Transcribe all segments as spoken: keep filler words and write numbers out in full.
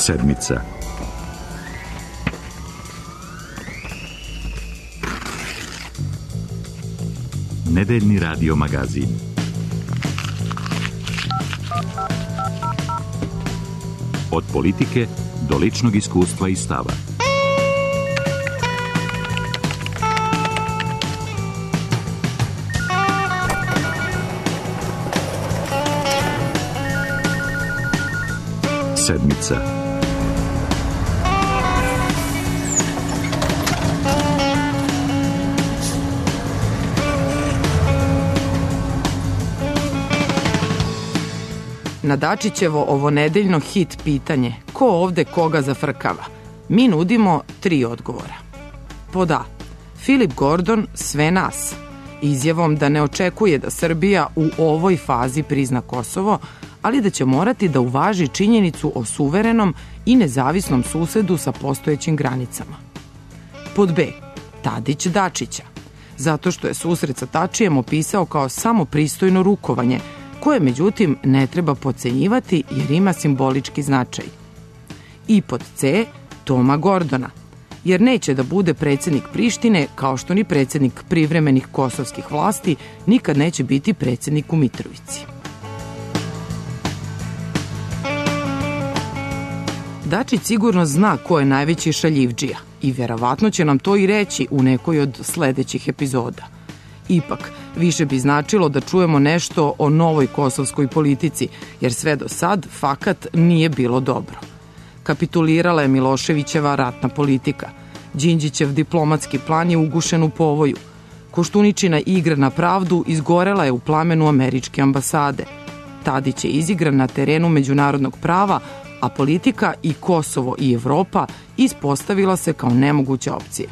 Sedmica. Nedeljni radio magazin. Od politike do ličnog iskustva i stava. Sedmica. Na Dačićevo ovo nedeljno hit pitanje ko ovde koga zafrkava, mi nudimo tri odgovora. Pod A. Filip Gordon sve nas, izjavom da ne očekuje da Srbija u ovoj fazi prizna Kosovo, ali da će morati da uvaži činjenicu o suverenom i nezavisnom susedu sa postojećim granicama. Pod B. Tadić Dačića, zato što je susret sa Tačijem opisao kao samo pristojno rukovanje, koje međutim ne treba potcenjivati jer ima simbolički značaj. I pod C. Toma Gordona, jer neće da bude predsjednik Prištine kao što ni predsjednik privremenih kosovskih vlasti nikad neće biti predsjednik u Mitrovici. Dačić sigurno zna ko je najveći šaljivdžija i verovatno će nam to i reći u nekoj od sledećih epizoda. Ipak, više bi značilo da čujemo nešto o novoj kosovskoj politici, jer sve do sad fakat nije bilo dobro. Kapitulirala je Miloševićeva ratna politika. Đinđićev diplomatski plan je ugušen u povoju. Koštuničina igra na pravdu izgorela je u plamenu američke ambasade. Tadić je izigran na terenu međunarodnog prava, a politika i Kosovo i Evropa ispostavila se kao nemoguća opcija.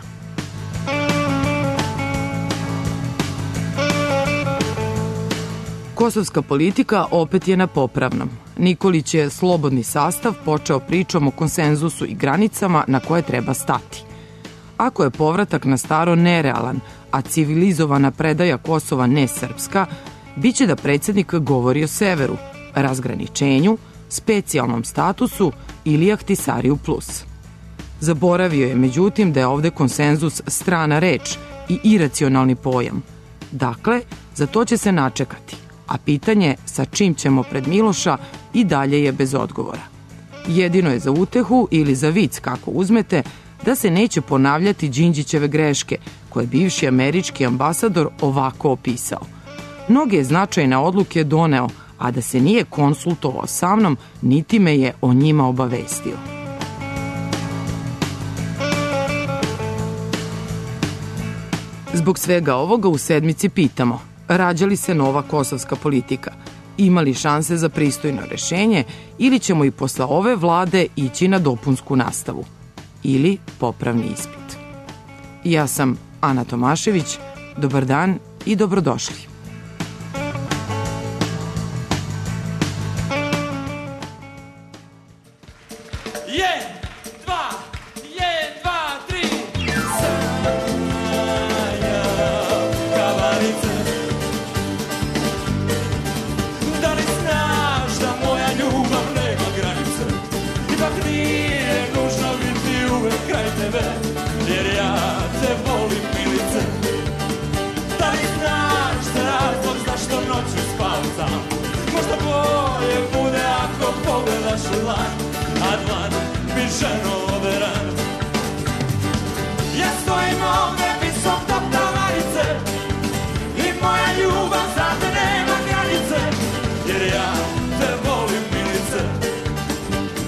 Kosovska politika opet je na popravnom. Nikolić je slobodni sastav počeo pričom o konsenzusu i granicama na koje treba stati. Ako je povratak na staro nerealan, a civilizovana predaja Kosova nesrpska, bit će da predsjednik govori o severu, razgraničenju, specijalnom statusu ili Ahtisariju plus. Zaboravio je međutim da je ovde konsenzus strana reč i iracionalni pojam. Dakle, za to će se načekati, a pitanje sa čim ćemo pred Miloša i dalje je bez odgovora. Jedino je za utehu ili za vic, kako uzmete, da se neće ponavljati Đinđićeve greške, koje je bivši američki ambasador ovako opisao. Mnoge značajne odluke doneo, a da se nije konsultovao sa mnom, niti me je o njima obavestio. Zbog svega ovoga u sedmici pitamo, rađa li se nova kosovska politika, ima li šanse za pristojno rešenje ili ćemo i posle ove vlade ići na dopunsku nastavu ili popravni ispit. Ja sam Ana Tomašević, dobar dan i dobrodošli. A dlan mi ženo overan. Ja stojim ovde visok do tavanice i moja ljubav za te nema granice, jer ja te volim milice.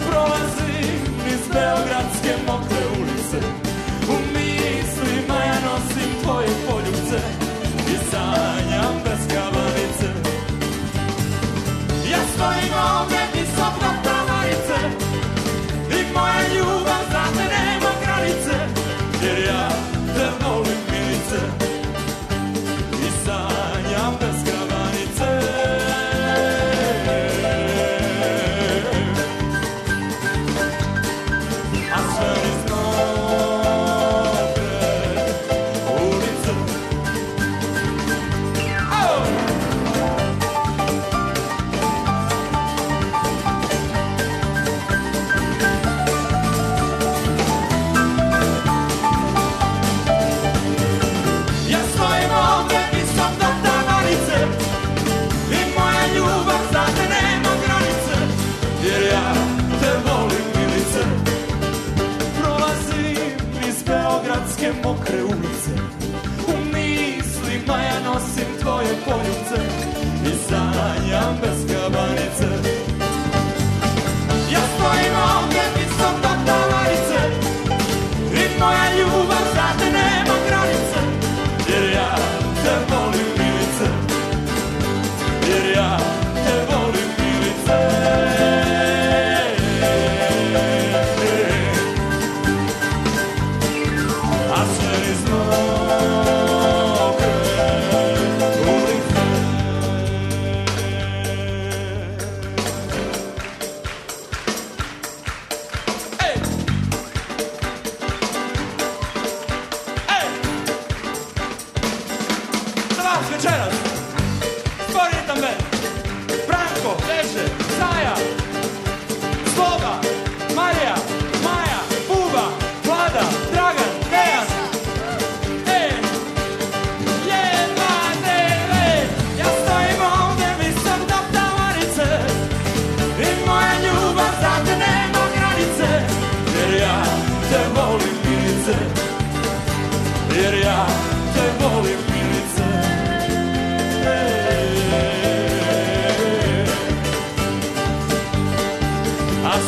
Prolazim iz beogradske mokre ulice, u mislima ja nosim tvoje poljubce i sanjam bez kavanice. Ja stojim ovde visok do tavanice i moja ljubav za te nema granice, jer ja te volim.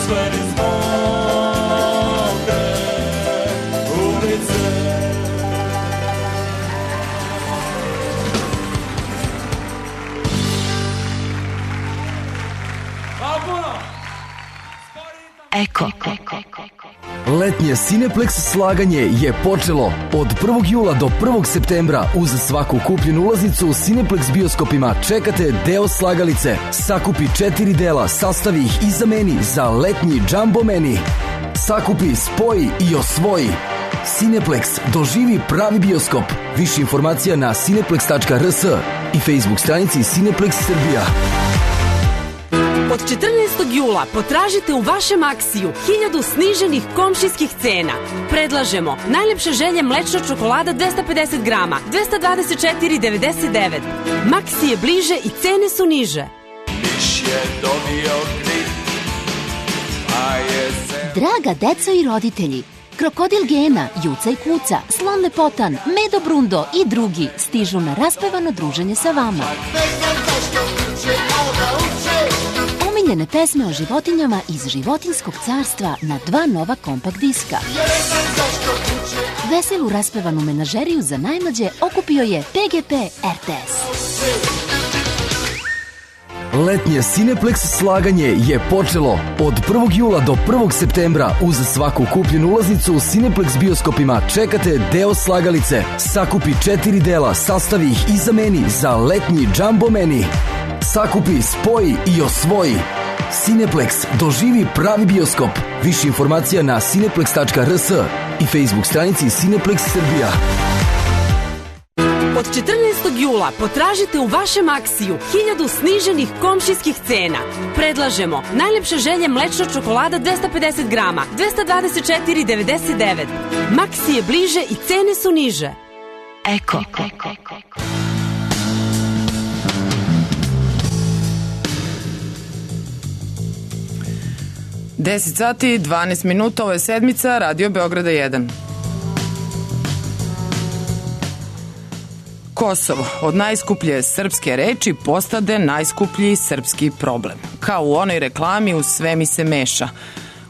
sve niz mokre ulice. Eko. Letnje Cineplex slaganje je počelo od prvog jula do prvog septembra. Uz svaku kupljenu ulaznicu u Cineplex bioskopima čekate deo slagalice. Sakupi četiri dela, sastavi ih i zameni za letnji Jumbo Meni. Sakupi, spoji i osvoji. Cineplex, doživi pravi bioskop. Više informacija na cineplex tačka r s i Facebook stranici Cineplex Srbija. Od četrnaestog jula potražite u vašem Aksiju hiljadu sniženih komšijskih cena. Predlažemo najlepše želje mlečna čokolada dvesta pedeset grama, dvesta dvadeset četiri devedeset devet. Maksi je bliže i cene su niže. Miš je dobio grip, a je se... Draga deco i roditelji, Krokodil Gena, Juca i Kuca, Slon Lepotan, Medo Brundo i drugi stižu na raspevano druženje sa vama. Omiljene pesme o životinjama iz životinskog carstva na dva nova kompakt diska. Veselu raspevanu menažeriju za najmlađe okupio je P G P R T S. Letnje Cineplex slaganje je počelo od prvog jula do prvog septembra. Uz svaku kupljenu ulaznicu u Cineplex bioskopima čekate deo slagalice. Sakupi četiri dela, sastavi ih i zameni za letnji Jumbo Meni. Sakupi, spoji i osvoji. Cineplex, doživi pravi bioskop. Više informacija na cineplex tačka r s i Facebook stranici Cineplex Srbija. Od četrnaestog jula potražite u vašem Aksiju hiljadu sniženih komšijskih cena. Predlažemo najlepše želje mlečna čokolada dvesta pedeset grama, dvesta dvadeset četiri devedeset devet. Maksi je bliže i cene su niže. Eko. deset sati, dvanaest minuta, ovo je sedmica, Radio Beograda jedan. Kosovo, od najskuplje srpske reči postade najskuplji srpski problem. Kao u onoj reklami u sve mi se meša.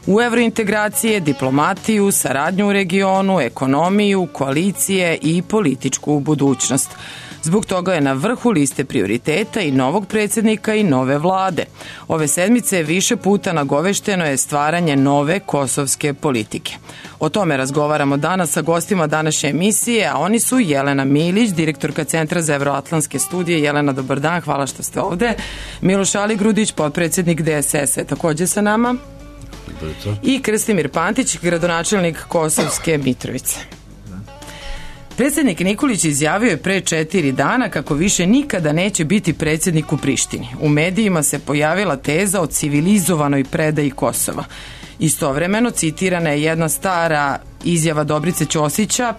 U evrointegracije, diplomatiju, saradnju u regionu, ekonomiju, koalicije i političku budućnost. Zbog toga je na vrhu liste prioriteta i novog predsjednika i nove vlade. Ove sedmice više puta nagovešteno je stvaranje nove kosovske politike. O tome razgovaramo danas sa gostima današnje emisije, a oni su Jelena Milić, direktorka Centra za evroatlantske studije. Jelena, dobar dan, hvala što ste ovde. Miloš Aligrudić, potpredsjednik D S S-a, je takođe sa nama. I Krstimir Pantić, gradonačelnik Kosovske Mitrovice. Predsjednik Nikolić izjavio je pre četiri dana kako više nikada neće biti predsjednik u Prištini. U medijima se pojavila teza o civilizovanoj predaji Kosova. Istovremeno citirana je jedna stara izjava Dobrice Ćosića,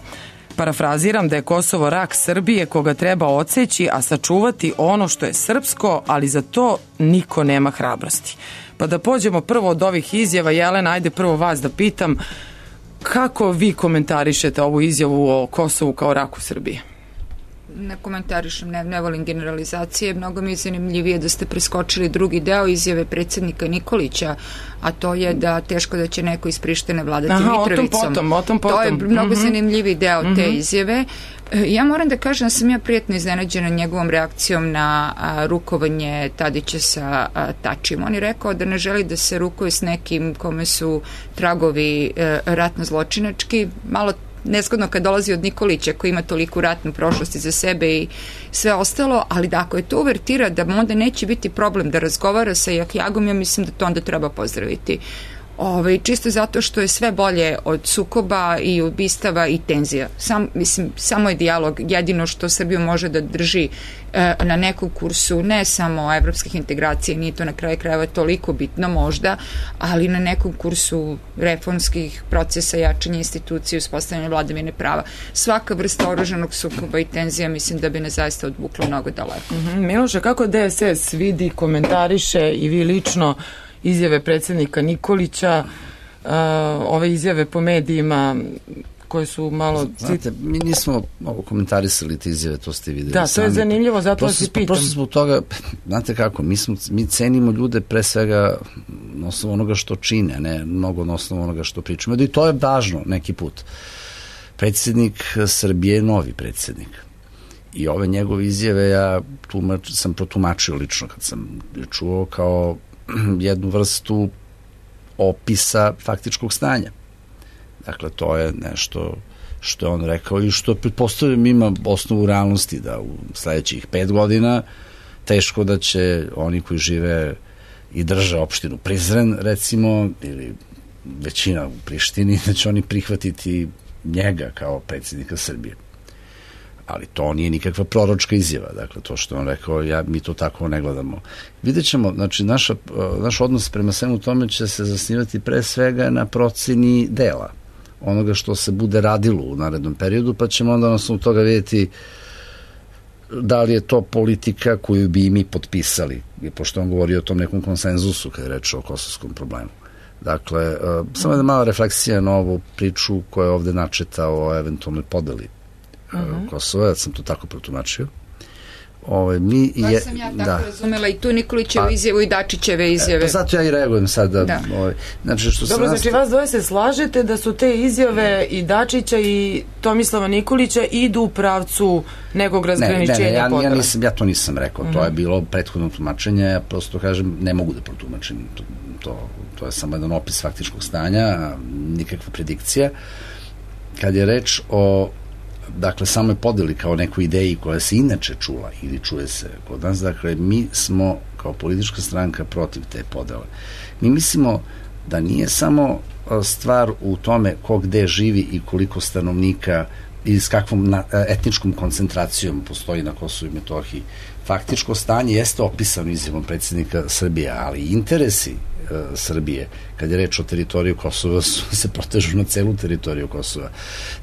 parafraziram, da je Kosovo rak Srbije koga treba odseći, a sačuvati ono što je srpsko, ali za to niko nema hrabrosti. Pa da pođemo prvo od ovih izjava. Jelena, ajde prvo vas da pitam, kako vi komentarišete ovu izjavu o Kosovu kao raku Srbije? Ne komentarišem, ne, ne volim generalizacije. Mnogo mi je zanimljivije da ste preskočili drugi deo izjave predsjednika Nikolića, a to je da teško da će neko iz Prištine vladati Aha, Mitrovicom. O tom potom, o tom potom. To je mnogo mm-hmm. zanimljiviji deo mm-hmm. te izjave. Ja moram da kažem da sam ja prijatno iznenađena njegovom reakcijom na a, rukovanje Tadića sa a, Tačijem. On je rekao da ne želi da se rukuje s nekim kome su tragovi a, ratno zločinački. Malo neskodno kad dolazi od Nikolića koji ima toliku ratnu prošlost iza sebe i sve ostalo, ali da ako je to uvertira da onda neće biti problem da razgovara sa Jahjagom, ja mislim da to onda treba pozdraviti. Ove, čisto zato što je sve bolje od sukoba i ubistava i tenzija. Sam, mislim, samo je dijalog jedino što Srbiju može da drži e, na nekom kursu, ne samo evropskih integracija, nije to na kraju krajeva toliko bitno možda, ali na nekom kursu reformskih procesa, jačanja institucije, uspostavljanja vladavine prava. Svaka vrsta oružanog sukoba i tenzija mislim da bi ne zaista odvuklo mnogo daleko. Mm-hmm. Miloše, kako D S S vidi, komentariše i vi lično izjave predsjednika Nikolića, uh, ove izjave po medijima koje su malo... Znate, mi nismo ovo komentarisali te izjave, to ste videli da, sami. to je zanimljivo, zato vas i pitam. Prosto zbog toga, znate kako, mi, smo, mi cenimo ljude pre svega na osnovu onoga što čine, ne mnogo na osnovu onoga što pričamo. I to je važno neki put. Predsjednik Srbije je novi predsjednik. I ove njegove izjave ja tumač, sam protumačio lično kad sam čuo kao jednu vrstu opisa faktičkog stanja. Dakle, to je nešto što je on rekao i što pretpostavljam ima osnovu realnosti da u sledećih pet godina teško da će oni koji žive i drže opštinu Prizren, recimo, ili većina u Prištini, da će oni prihvatiti njega kao predsjednika Srbije. Ali to nije nikakva proročka izjava. Dakle, to što je on rekao, ja, mi to tako ne gledamo. Vidjet ćemo, znači, naša, naš odnos prema svemu tome će se zasnivati pre svega na proceni dela, onoga što se bude radilo u narednom periodu, pa ćemo onda na osnovu toga vidjeti da li je to politika koju bi i mi potpisali, pošto on govori o tom nekom konsenzusu kada je reč o kosovskom problemu. Dakle, uh, samo jedna mala refleksija na ovu priču koja je ovde načeta o eventualnoj podeli uh, uh-huh. Kosova, ja sam to tako protumačio. Ove, mi Baš je, sam ja tako da. razumela i tu Nikolićevu pa, izjavu i Dačićeve izjave. E, pa zato ja i reagujem sad. Da, da. Ove, znači, što Dobro, znači vas dvoje se slažete da su te izjave i Dačića i Tomislava Nikolića idu u pravcu nekog razgraničenja ne, ne, ne, ja, podele. Ja, nisam, ja to nisam rekao, mm-hmm. to je bilo prethodno tumačenje, ja prosto kažem, ne mogu da protumačim, to, to, to je samo jedan opis faktičkog stanja, nikakva predikcija. Kad je reč o dakle, samo je podeli kao neku ideji koja se inače čula ili čuje se kod nas, dakle, mi smo kao politička stranka protiv te podele. Mi mislimo da nije samo stvar u tome ko gde živi i koliko stanovnika i s kakvom na, etničkom koncentracijom postoji na Kosovu i Metohiji. Faktičko stanje jeste opisano izjavom predsjednika Srbije, ali interesi e, Srbije, kad je reč o teritoriju Kosova, su, se protežu na celu teritoriju Kosova.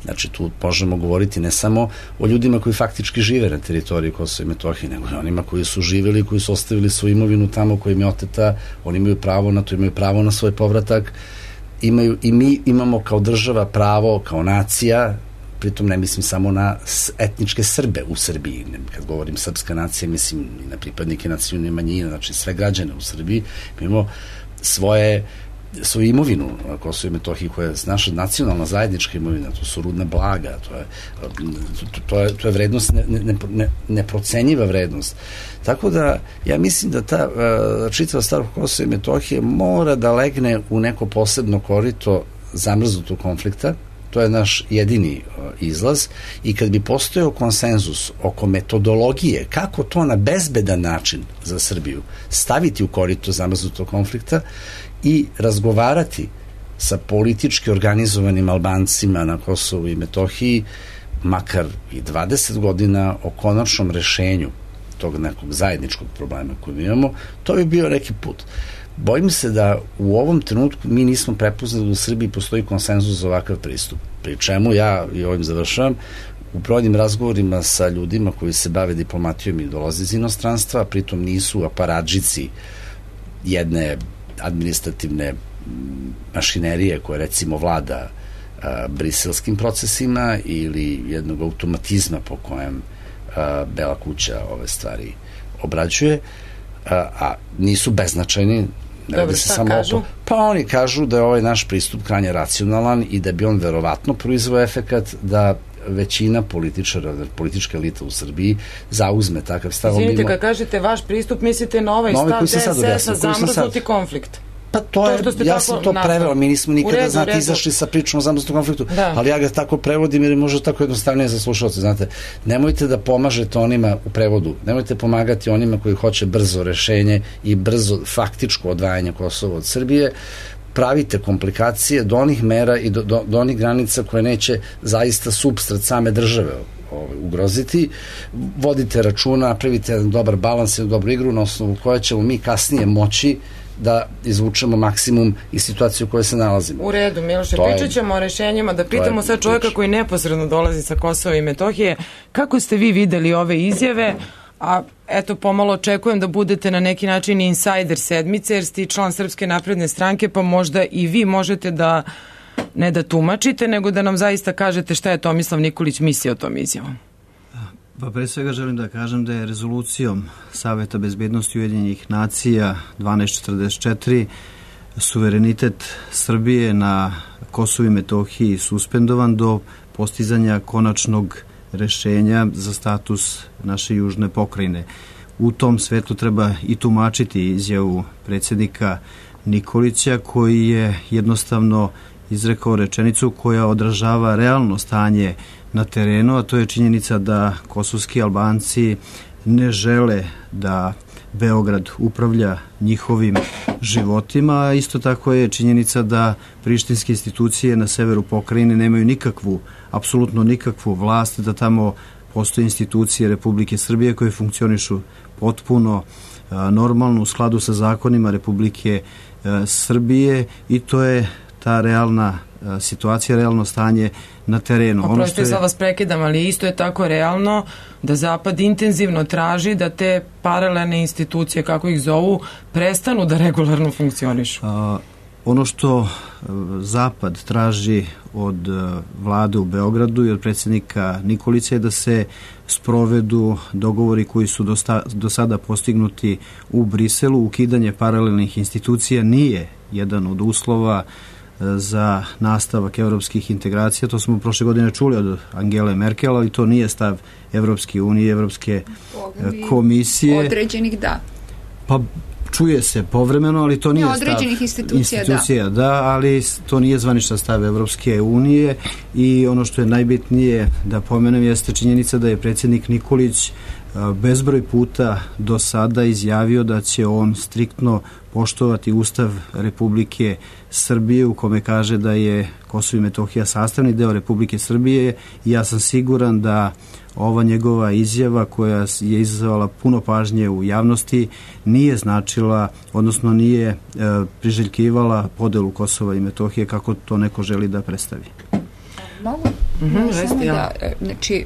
Znači, tu možemo govoriti ne samo o ljudima koji faktički žive na teritoriji Kosova i Metohije, nego i onima koji su živeli, koji su ostavili svoju imovinu tamo, koji im je oteta, oni imaju pravo na to, imaju pravo na svoj povratak, imaju, i mi imamo kao država pravo, kao nacija, pritom ne mislim samo na etničke Srbe u Srbiji. Kad govorim srpska nacija, mislim i na pripadnike nacionalne manjine, znači sve građane u Srbiji. Mi imamo svoje, svoju imovinu na Kosovu i Metohiji, koja je naša nacionalna zajednička imovina, to su rudna blaga, to je, to, to je, to je vrednost, ne, ne, ne, neprocenjiva vrednost. Tako da, ja mislim da ta uh, čitava stvar Kosova i Metohije mora da legne u neko posebno korito zamrznutog konflikta. To je naš jedini izlaz i kad bi postojao konsenzus oko metodologije kako to na bezbedan način za Srbiju staviti u korito zamrznutog konflikta i razgovarati sa politički organizovanim Albancima na Kosovu i Metohiji makar i dvadeset godina o konačnom rešenju tog nekog zajedničkog problema koji imamo, to bi bio neki put. Bojim se da u ovom trenutku mi nismo prepoznali da u Srbiji postoji konsenzus za ovakav pristup. Pri čemu ja, i ovim završavam, u brojnim razgovorima sa ljudima koji se bave diplomatijom i dolaze iz inostranstva, a pritom nisu aparadžici jedne administrativne mašinerije koja recimo vlada a, briselskim procesima ili jednog automatizma po kojem a, Bela kuća ove stvari obrađuje, a, a nisu beznačajni. Dobro, šta samo kažu? Pa oni kažu da je ovaj naš pristup krajnje racionalan i da bi on verovatno proizveo efekat da većina političara, politička elita u Srbiji zauzme takav stav. Izvinite, kad kažete vaš pristup, mislite na ovaj stav D S S-a zamrznuti konflikt. Pa to je, to ja sam to preveo, mi nismo nikada, redu, znate, redu. izašli sa pričom o zamrznutom konfliktu, da. Ali ja ga tako prevodim jer je možda tako jednostavnije za slušalce, znate, nemojte da pomažete onima u prevodu, nemojte pomagati onima koji hoće brzo rešenje i brzo faktičko odvajanje Kosova od Srbije, pravite komplikacije do onih mera i do, do, do onih granica koje neće zaista supstrat same države ovaj, ugroziti, vodite računa, napravite jedan dobar balans i jednu dobru igru na osnovu koja ćemo mi kasnije moći da izvučemo maksimum iz situacije u kojoj se nalazimo. U redu, Miloše, pričat ćemo o rešenjima, da pitamo sad čovjeka koji neposredno dolazi sa Kosova i Metohije, kako ste vi videli ove izjave, a eto pomalo očekujem da budete na neki način insajder sedmice, jer ste član Srpske napredne stranke, pa možda i vi možete da ne da tumačite, nego da nam zaista kažete šta je Tomislav Nikolić mislio o tom izjavom. Pa pre svega želim da kažem da je rezolucijom Saveta bezbednosti Ujedinjenih nacija dvanaest četrdeset četiri suverenitet Srbije na Kosovu i Metohiji suspendovan do postizanja konačnog rešenja za status naše južne pokrajine. U tom svetlu treba i tumačiti izjavu predsjednika Nikolića, koji je jednostavno izrekao rečenicu koja odražava realno stanje na terenu, a to je činjenica da kosovski Albanci ne žele da Beograd upravlja njihovim životima, a isto tako je činjenica da prištinske institucije na severu pokrajine nemaju nikakvu, apsolutno nikakvu vlast, da tamo postoje institucije Republike Srbije koje funkcionišu potpuno a, normalno u skladu sa zakonima Republike a, Srbije, i to je ta realna a, situacija, realno stanje na terenu. Oprostite, je... sad vas prekidam, ali isto je tako realno da Zapad intenzivno traži da te paralelne institucije, kako ih zovu, prestanu da regularno funkcionišu. A, ono što Zapad traži od vlade u Beogradu i od predsjednika Nikolića je da se sprovedu dogovori koji su do, sta, do sada postignuti u Briselu. Ukidanje paralelnih institucija nije jedan od uslova za nastavak evropskih integracija. To smo prošle godine čuli od Angele Merkel, ali to nije stav Evropske unije, Evropske komisije. Određenih da. Pa čuje se povremeno, ali to nije stav institucija, institucija da. da, ali to nije zvaničan stav Evropske unije. I ono što je najbitnije da pomenem jeste činjenica da je predsjednik Nikolić bezbroj puta do sada izjavio da će on striktno poštovati Ustav Republike Srbije, u kome kaže da je Kosovo i Metohija sastavni deo Republike Srbije, i ja sam siguran da ova njegova izjava, koja je izazvala puno pažnje u javnosti, nije značila, odnosno nije e, priželjkivala podelu Kosova i Metohije kako to neko želi da predstavi. Mogu? Mm-hmm, samo da, znači,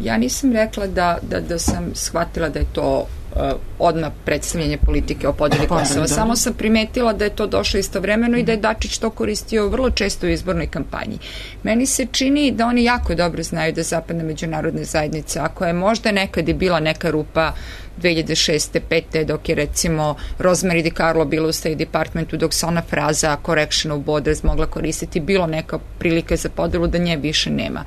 ja nisam rekla da, da, da sam shvatila da je to uh, odmah predstavljanje politike o podeli Kosova. Samo sam primetila da je to došlo istovremeno i da je Dačić to koristio vrlo često u izbornoj kampanji. Meni se čini da oni jako dobro znaju da zapadna međunarodna zajednica, ako je možda nekad i bila neka rupa dve hiljade šeste pete dok je recimo Rosemary DiCarlo bila u State Departmentu, dok se ona fraza correction of borders mogla koristiti, bilo neka prilika za podelu, da nje više nema.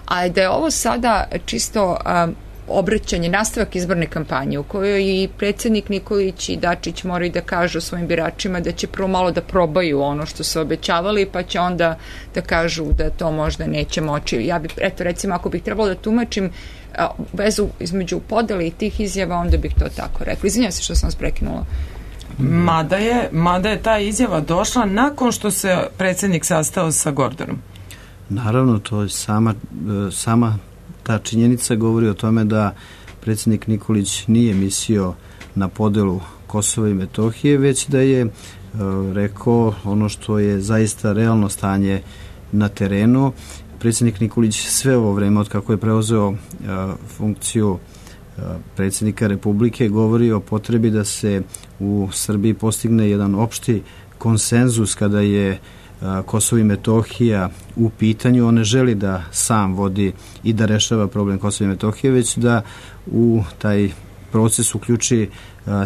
A da je ovo sada čisto um, obraćanje, nastavak izborne kampanje u kojoj i predsjednik Nikolić i Dačić moraju da kažu svojim biračima da će prvo malo da probaju ono što su obećavali, pa će onda da kažu da to možda neće moći. Ja bih, eto recimo, ako bih trebalo da tumačim a, vezu između podele i tih izjava, onda bih to tako rekla. Izvinjam se što sam vas prekinula. Mada je, mada je ta izjava došla nakon što se predsjednik sastao sa Gordonom. Naravno, to je sama, sama ta činjenica govori o tome da predsjednik Nikolić nije mislio na podelu Kosova i Metohije, već da je uh, rekao ono što je zaista realno stanje na terenu. Predsjednik Nikolić sve ovo vreme od kako je preuzeo uh, funkciju uh, predsjednika Republike govori o potrebi da se u Srbiji postigne jedan opšti konsenzus kada je Kosovo i Metohija u pitanju. On ne želi da sam vodi i da rešava problem Kosova i Metohije, već da u taj proces uključi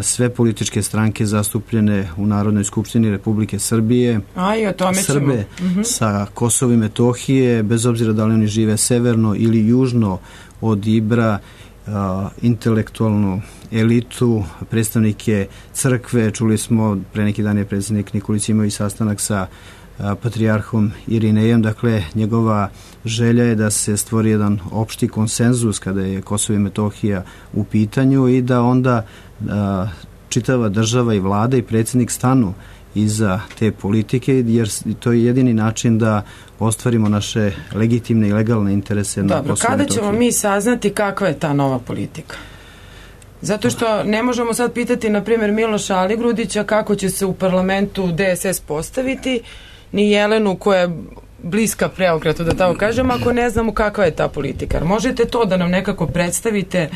sve političke stranke zastupljene u Narodnoj skupštini Republike Srbije, A, i o tome Srbe ćemo. sa Kosova i Metohije, bez obzira da li oni žive severno ili južno od Ibra, intelektualnu elitu, predstavnike crkve. Čuli smo, pre neki dan je predsjednik Nikolić imao i sastanak sa patrijarhom Irinejem. Dakle, njegova želja je da se stvori jedan opšti konsenzus kada je Kosovo i Metohija u pitanju i da onda a, čitava država i vlada i predsjednik stanu iza te politike, jer to je jedini način da ostvarimo naše legitimne i legalne interese na Kosovo i Metohiji. Dobro, kada ćemo mi saznati kakva je ta nova politika? Zato što ne možemo sad pitati, na primjer, Miloša Aligrudića kako će se u parlamentu D S S postaviti, ni Jelenu koja je bliska preokratu, da tako kažem, ako ne znamo kakva je ta politika. Možete to da nam nekako predstavite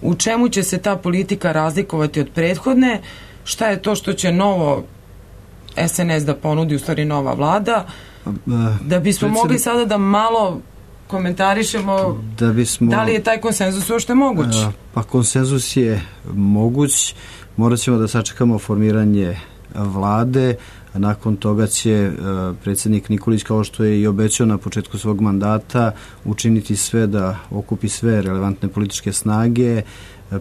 u čemu će se ta politika razlikovati od prethodne, šta je to što će novo S N S da ponudi, u stvari nova vlada, da bismo mogli sada da malo komentarišemo da, bismo, da li je taj konsenzus uopšte moguć? Pa konsenzus je moguć, morat ćemo da sačekamo formiranje vlade, Nakon toga će predsjednik Nikolić, kao što je i obećao na početku svog mandata, učiniti sve da okupi sve relevantne političke snage,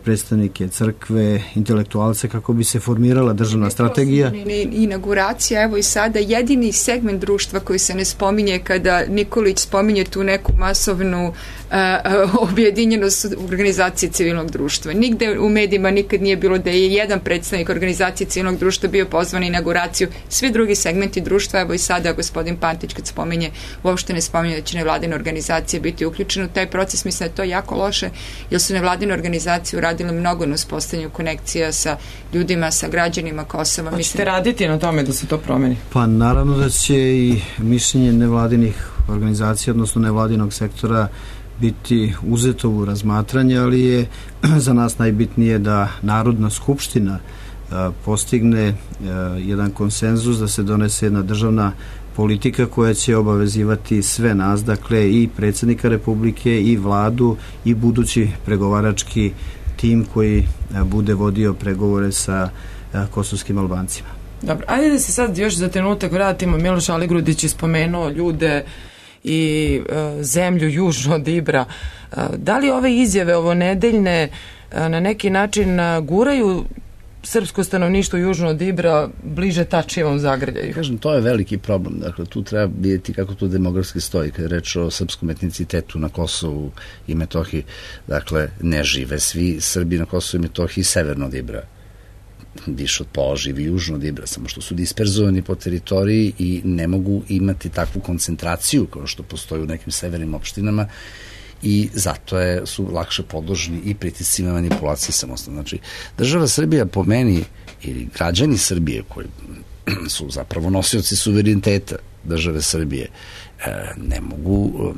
predstavnike crkve, intelektualce, kako bi se formirala državna strategija. Inauguracija, evo i sada, jedini segment društva koji se ne spominje kada Nikolić spominje tu neku masovnu uh, objedinjenost organizacije civilnog društva. Nigde u medijima nikad nije bilo da je jedan predstavnik organizacije civilnog društva bio pozvan na inauguraciju. Svi drugi segmenti društva, evo i sada gospodin Pantić kad spominje, uopšte ne spominje da će nevladine organizacije biti uključene u taj proces. Mislim da je to jako loše, jer su nevladine organizacije uradile mnogo na uspostavljanju konekcija sa ljudima, sa građanima Kosova. Hoćete mislim... raditi na tome da se to promeni? Pa naravno da će i mišljenje nevladinih organizacija, odnosno nevladinog sektora, biti uzeto u razmatranje, ali je za nas najbitnije da Narodna skupština a, postigne a, jedan konsenzus, da se donese jedna državna politika koja će obavezivati sve nas, dakle i predsjednika Republike i vladu i budući pregovarački tim koji a, bude vodio pregovore sa a, kosovskim Albancima. Dobro, ajde da se sad još za trenutak vratimo. Miloš Aligrudić je spomenuo ljude i e, zemlju južno od Ibra. E, da li ove izjave, ovo nedeljne, e, na neki način e, guraju srpsko stanovništvo južno od Ibra bliže Tačijevom zagrljaju? Kažem, to je veliki problem. Dakle, tu treba vidjeti kako to demografski stoji. Kad je reč o srpskom etnicitetu na Kosovu i Metohiji, dakle, ne žive svi Srbi na Kosovu i Metohiji severno od Ibra. Više od pola živi južno od Ibra, samo što su disperzovani po teritoriji i ne mogu imati takvu koncentraciju kao što postoji u nekim severnim opštinama i zato je, su lakše podložni i pritiscima manipulacije samostalno. Znači, država Srbija po meni ili građani Srbije koji su zapravo nosioci suvereniteta države Srbije ne mogu,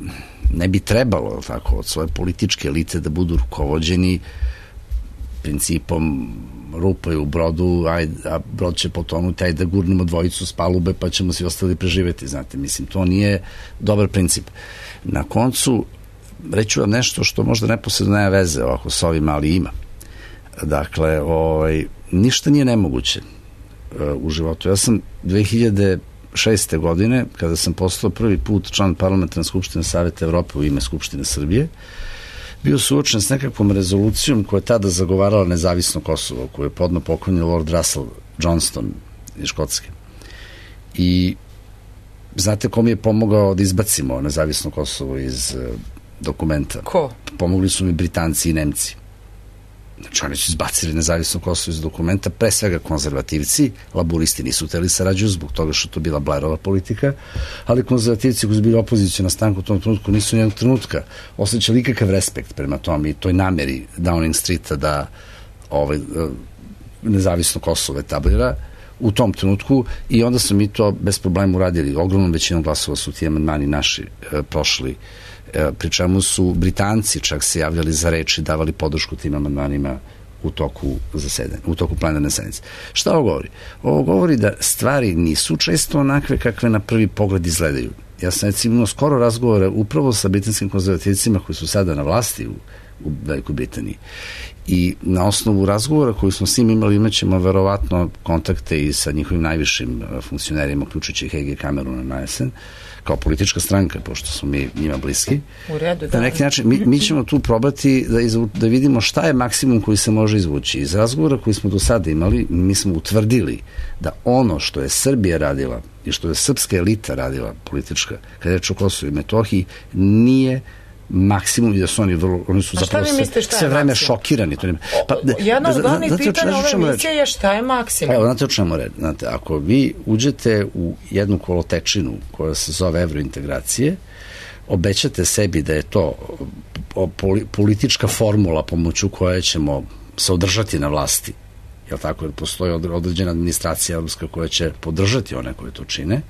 ne bi trebalo tako od svoje političke elite da budu rukovođeni principom rupa je u brodu, ajde, a brod će potonuti, ajde da gurnemo dvojicu s palube pa ćemo svi ostali preživeti, znate, mislim, to nije dobar princip. Na koncu, reću vam nešto što možda neposredno nema veze ovako s ovim, ali ima. Dakle, ovaj, ništa nije nemoguće uh, u životu. Ja sam dve hiljade šeste. godine, kada sam postao prvi put član Parlamentarne skupštine Saveta Evrope u ime Skupštine Srbije, bio suočen s nekakvom rezolucijom koja je tada zagovarala nezavisno Kosovo, koju je podno pokojni Lord Russell Johnston iz Škotske. I znate ko mi je pomogao da izbacimo nezavisno Kosovo iz uh, dokumenta? Ko? Pomogli su mi Britanci i Nemci. Znači, oni su izbacili nezavisno Kosovo iz dokumenta, pre svega konzervativci, laburisti nisu hteli sarađuju zbog toga što to bila Blairova politika, ali konzervativci koji su bili opozicija na stanku u tom trenutku nisu nijednog trenutka osjećali ikakav respekt prema tom i toj nameri Downing Streeta da ovaj, nezavisno Kosovo etablira u tom trenutku i onda su mi to bez problema uradili. Ogromnom većinom glasova su ti amandmani naši e, prošli, e, pri čemu su Britanci čak se javljali za reč i davali podršku tim amandmanima u toku zasedanja, u toku plenarne sednice. Šta ovo govori? Ovo govori da stvari nisu često onakve kakve na prvi pogled izgledaju. Ja sam recimo skoro razgovore upravo sa britanskim konzervativcima koji su sada na vlasti u, u Velikoj Britaniji. I na osnovu razgovora koji smo s njim imali, imat ćemo verovatno kontakte i sa njihovim najvišim funkcionerima, uključujući H G Camerona na jesen, kao politička stranka, pošto smo mi njima bliski. U redu, da. Na neki način, mi, mi ćemo tu probati da, izvu, da vidimo šta je maksimum koji se može izvući. Iz razgovora koji smo do sada imali, mi smo utvrdili da ono što je Srbija radila i što je srpska elita radila, politička, kada je reč o Kosovu i Metohiji, nije maksimum i da su oni vrlo, oni su zapravo sve, sve vreme šokirani. To nema. Pa, Jedno od glavnih pitanja ove emisije je šta je maksimum. Evo, znate o čemu reći? Znate, ako vi uđete u jednu kolotečinu koja se zove evrointegracije, obećate sebi da je to politička formula pomoću koje ćemo se održati na vlasti, jel tako, jer postoji određena administracija evropska koja će podržati one koje to čine,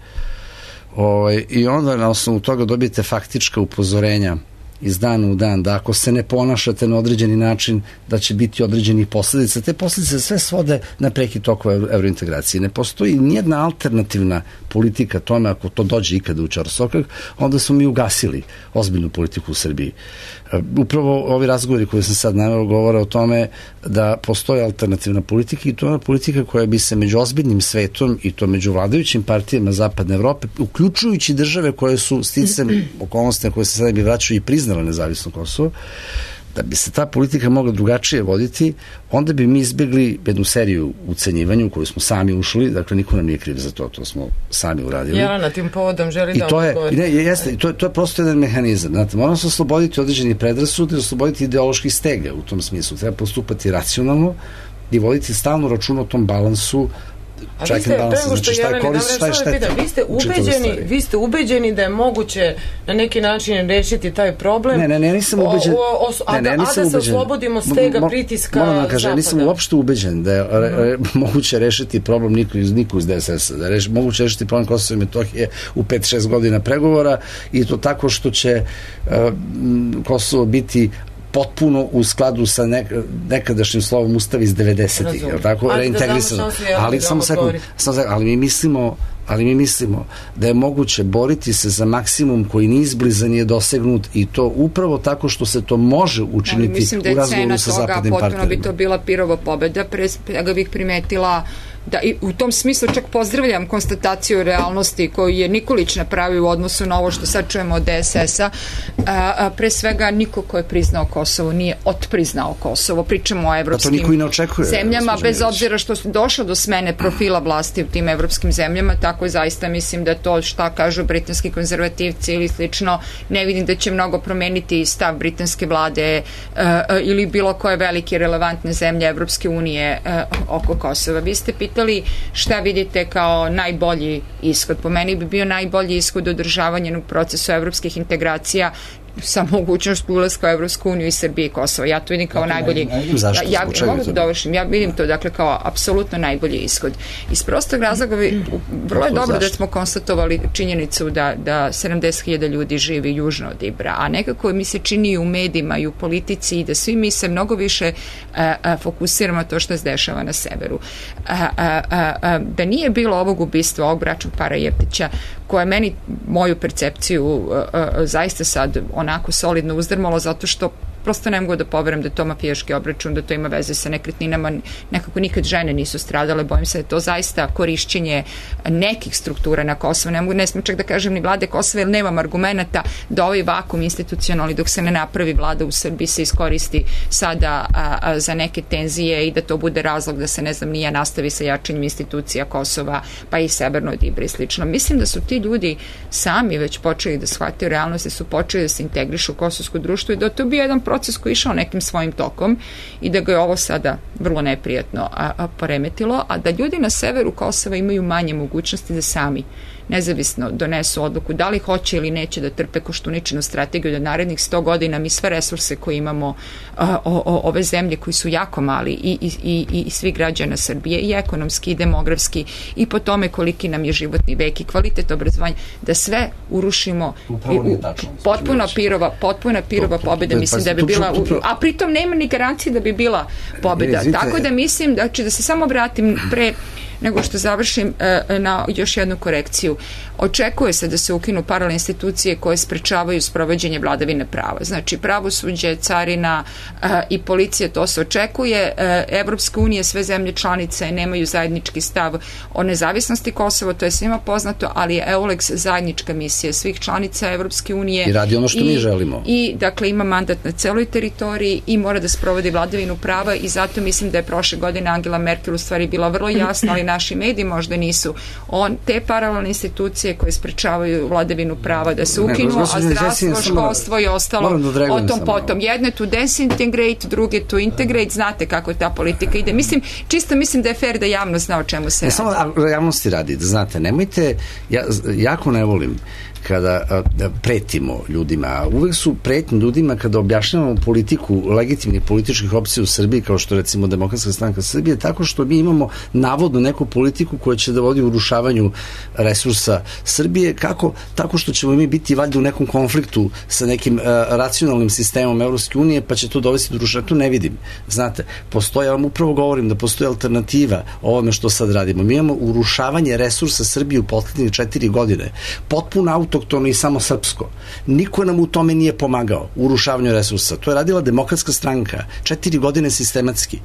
o, i onda na osnovu toga dobijete faktička upozorenja iz dana u dan, da ako se ne ponašate na određeni način, da će biti određenih posledica. Te posledice sve svode na prekid tokova evrointegracije. Ne postoji nijedna alternativna politika tome, ako to dođe ikada u čarosokak, onda smo mi ugasili ozbiljnu politiku u Srbiji. Upravo ovi razgovori koje sam sad naveo govore o tome da postoji alternativna politika i to je ona politika koja bi se među ozbiljnim svetom i to među vladajućim partijama Zapadne Evrope, uključujući države koje su sticam okolnostima koje se sada bi vraćaju i priznala nezavisno Kosovo, da bi se ta politika mogla drugačije voditi, onda bi mi izbjegli jednu seriju ucenjivanja u koju smo sami ušli, dakle niko nam nije kriv za to, to smo sami uradili. Jelena tim povodom želi I da to je, odgovori. ne, jeste, to, to je prosto jedan mehanizam. Znate, moramo se osloboditi određenih predrasuda i osloboditi ideoloških stega u tom smislu. Treba postupati racionalno i voditi stalno račun o tom balansu. A vi ste, pre nego što Jeleni, vi ste ubeđeni, vi ste ubeđeni da je moguće na neki način rešiti taj problem. Ne, ne, ne, nisam ubeđen. O, o, o, a, ne, ne, da, a da se oslobodimo stega pritiska moram da kažem, Zapada. Nisam uopšte ubeđen da je re, re, moguće rešiti problem niko iz, niko iz D S S-a, da je reš, moguće rešiti problem Kosova i Metohije u pet šest godina pregovora i to tako što će uh, Kosovo biti potpuno u skladu sa nek, nekadašnjim slovom Ustava iz devedesetih, je tako? Reintegrisano. Ali samo sekund, ali mi mislimo ali mi mislimo da je moguće boriti se za maksimum koji ni izbliza nije dosegnut i to upravo tako što se to može učiniti u razgovoru sa zapadnim partnerima. Mislim da je cena toga, potpuno bi to bila Pirova pobeda, pre ga bih primetila da i u tom smislu čak pozdravljam konstataciju realnosti koju je Nikolić napravio u odnosu na ovo što sad čujemo od D S S-a. A, a, pre svega niko ko je priznao Kosovo nije otpriznao Kosovo. Pričamo o evropskim zemljama, bez obzira što su došlo do smene profila vlasti u tim evropskim zemljama, tako je zaista mislim da to šta kažu britanski konzervativci ili slično, ne vidim da će mnogo promeniti stav britanske vlade a, a, ili bilo koje velike relevantne zemlje Evropske unije a, oko Kosova. Vi ste pitali šta vidite kao najbolji ishod. Po meni bi bio najbolji ishod održavanja u procesu evropskih integracija sa mogućnost ulaska u Evropsku uniju i Srbije i Kosova. Ja to vidim kao dakle, najbolji... Zašto? Ja, ja mogu da dovršim. Ja vidim to dakle kao apsolutno najbolji ishod. Iz prostog razloga vrlo je dobro da smo konstatovali činjenicu da, da sedamdeset hiljada ljudi živi južno od Ibra, a nekako mi se čini u medijima i u politici i da svi mi se mnogo više a, a, fokusiramo to što se dešava na severu. A, a, a, a, da nije bilo ovog ubistva, ovog bračnog para Jeftića, koje meni moju percepciju a, a, zaista sad onako solidno uzdrmalo, zato što prosto ne mogu da poverujem da je to mafijaški obračun, da to ima veze sa nekretninama, nekako nikad žene nisu stradale, bojim se da je to zaista korišćenje nekih struktura na Kosovo, ne mogu, ne smijem čak da kažem ni vlade Kosova, jer nemam argumenta da ovaj vakum institucionalni dok se ne napravi vlada u Srbiji se iskoristi sada a, a, za neke tenzije i da to bude razlog da se, ne znam, nije nastavi sa jačanjem institucija Kosova, pa i Severno od Ibra i slično. Mislim da su ti ljudi sami već počeli da shvataju realnost, da su počeli da se integrišu u kosovsko društvo i da to bi jedan proces koji je išao nekim svojim tokom i da ga je ovo sada vrlo neprijatno a, a, poremetilo, a da ljudi na severu Kosova imaju manje mogućnosti da sami nezavisno donesu odluku da li hoće ili neće da trpe Koštuničinu strategiju da narednih sto godina mi sve resurse koje imamo a, o, o, ove zemlje koji su jako mali i, i, i, i svi građana Srbije i ekonomski i demografski i po tome koliki nam je životni vek i kvalitet obrazovanja, da sve urušimo i, u, potpuno pirova potpuna pirova pobjeda, mislim da bi bila u, a pritom nema ni garancije da bi bila pobjeda, tako da mislim da će da se samo vratim pre nego što završim na još jednu korekciju. Očekuje se da se ukinu paralelne institucije koje sprečavaju sprovođenje vladavine prava. Znači, pravosuđe, carina i policija, to se očekuje. Evropska unija, sve zemlje članice nemaju zajednički stav o nezavisnosti Kosova, to je svima poznato, ali je EULEX zajednička misija svih članica Evropske unije. I radi ono što i, mi želimo. I, dakle, ima mandat na celoj teritoriji i mora da sprovodi vladavinu prava i zato mislim da je prošle godine Angela Merkel u stvari bila vrlo jasna, ali naši mediji možda nisu. On, te paralelne institucije koje sprečavaju vladavinu prava da se ukinu, ne, a zdravstvo, školstvo i ostalo da o tom potom. Jedne to disintegrate, druge to integrate, znate kako ta politika ide. Mislim, čisto mislim da je fair da javnost zna o čemu se ne, radi. Samo javnosti radi, da znate, nemojte, ja jako ne volim kada a, pretimo ljudima, a uvek su pretnji ljudima kada objašnjavamo politiku legitimnih političkih opcija u Srbiji, kao što recimo Demokratska stranka Srbije, tako što mi imamo navodno neku neku politiku koja će da vodi u urušavanju resursa Srbije, kako? Tako što ćemo mi biti valjda u nekom konfliktu sa nekim uh, racionalnim sistemom Evropske unije, pa će to dovesti do urušavanja. To ne vidim. Znate, postoje, ja vam upravo govorim da postoji alternativa ovome što sad radimo. Mi imamo urušavanje resursa Srbije u poslednjih četiri godine. Potpuno autoktono i samo srpsko. Niko nam u tome nije pomagao u urušavanju resursa. To je radila Demokratska stranka. Četiri godine sistematski.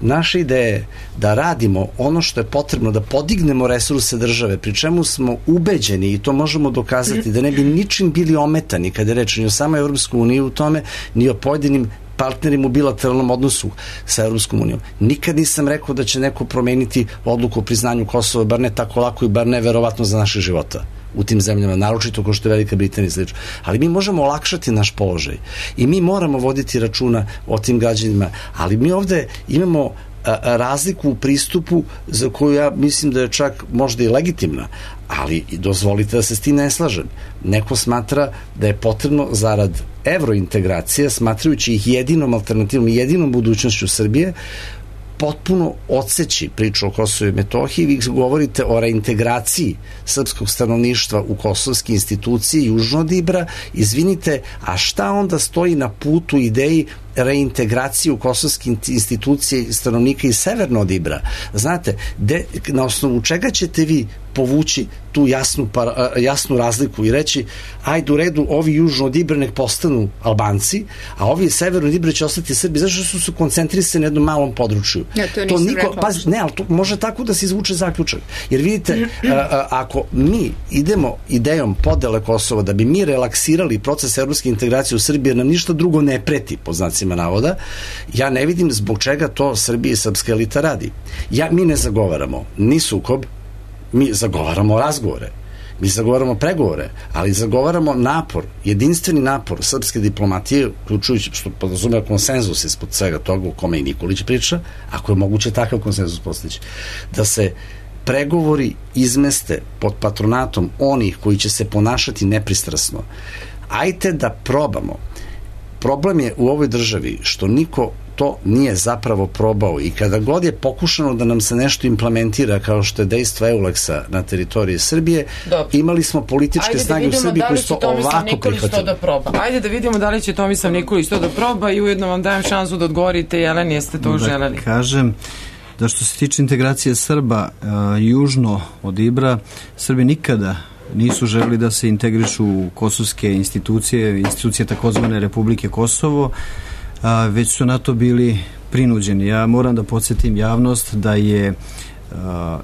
Naša ideja je da radimo ono što je potrebno, da podignemo resurse države, pri čemu smo ubeđeni, i to možemo dokazati, da ne bi ničim bili ometani kada je reč ni o samoj Evropskoj uniji u tome, ni o pojedinim partnerima u bilateralnom odnosu sa Evropskom unijom. Nikad nisam rekao da će neko promeniti odluku o priznanju Kosova, bar ne tako lako i bar ne verovatno za naše života u tim zemljama, naročito kao što je Velika Britanija i slično. Ali mi možemo olakšati naš položaj i mi moramo voditi računa o tim građanima, ali mi ovde imamo razliku u pristupu za koju ja mislim da je čak možda i legitimna, ali dozvolite da se s tim ne slažem. Neko smatra da je potrebno zarad evrointegracije, smatrajući ih jedinom alternativom i jedinom budućnošću Srbije, potpuno odseći priču o Kosovu i Metohiji. Vi govorite o reintegraciji srpskog stanovništva u kosovske institucije južno od Ibra. Izvinite, a šta onda stoji na putu ideji reintegraciju u kosovske institucije stanovnika i severno od Ibra? Znate, de, na osnovu čega ćete vi povući tu jasnu, par, jasnu razliku i reći, ajde u redu, ovi južno od Ibra nek postanu Albanci, a ovi severno od Ibra će ostati Srbi, zašto su se koncentrisani na jednom malom području? Ja, to, to niko, pa, ne, ali to može tako da se izvuče zaključak. Jer vidite, a, a, ako mi idemo idejom podele Kosova da bi mi relaksirali proces evropske integracije u Srbiji, nam ništa drugo ne preti, po znacima navoda, ja ne vidim zbog čega to Srbija i srpska elita radi. Ja, mi ne zagovaramo ni sukob, mi zagovaramo razgovore, mi zagovaramo pregovore, ali zagovaramo napor, jedinstveni napor srpske diplomatije, uključujući što podrazumeva konsenzus ispod svega toga u kome i Nikolić priča, ako je moguće takav konsenzus postići, da se pregovori izmeste pod patronatom onih koji će se ponašati nepristrasno. Ajte da probamo. Problem je u ovoj državi što niko to nije zapravo probao i kada god je pokušano da nam se nešto implementira kao što je dejstvo Euleksa na teritoriji Srbije, dobro, imali smo političke Ajde snage da u Srbiji koji su to ovako prihvatili. Da proba. Ajde da vidimo da li će Tomislav Nikolić to da proba i ujedno vam dajem šansu da odgovorite, Jeleni, jeste to da želeli? Kažem da što se tiče integracije Srba uh, južno od Ibra, Srbi nikada nisu želeli da se integrišu u kosovske institucije, institucije takozvane Republike Kosovo, a, već su na to bili prinuđeni. Ja moram da podsjetim javnost da je, a,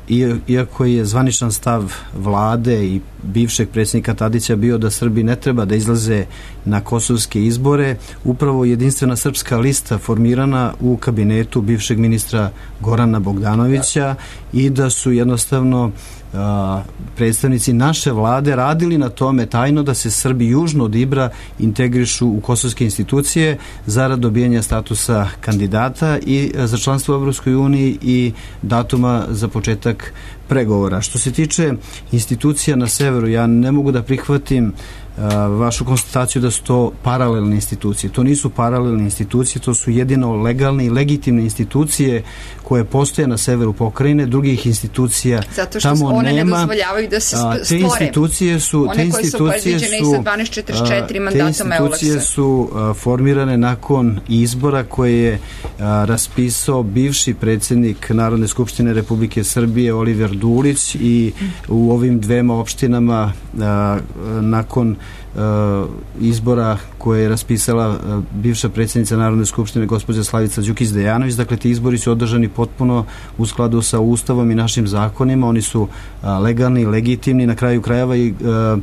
iako je zvaničan stav vlade i bivšeg predsjednika Tadića bio da Srbi ne treba da izlaze na kosovske izbore, upravo jedinstvena srpska lista formirana u kabinetu bivšeg ministra Gorana Bogdanovića i da su jednostavno a, predstavnici naše vlade radili na tome tajno da se Srbi južno od Ibra integrišu u kosovske institucije zarad dobijanja statusa kandidata i za članstvo u Evropskoj uniji i datuma za početak pregovora. Što se tiče institucija na severu, ja ne mogu da prihvatim a, vašu konstataciju da su to paralelne institucije. To nisu paralelne institucije, to su jedino legalne i legitimne institucije koje postoje na severu pokrajine, drugih institucija tamo nema. Zato što one nema, ne dozvoljavaju da se stvore. Te institucije su, one te institucije su, su, dvanaest četrdeset četiri mandatom Euleksa. Te institucije su a, formirane nakon izbora koje je a, raspisao bivši predsjednik Narodne skupštine Republike Srbije Oliver Dulić i u ovim dvema opštinama a, nakon a, izbora koje je raspisala a, bivša predsjednica Narodne skupštine gospođa Slavica Đukić-Dejanović. Dakle, ti izbori su održani potpuno u skladu sa Ustavom i našim zakonima. Oni su a, legalni, legitimni, na kraju krajeva i a,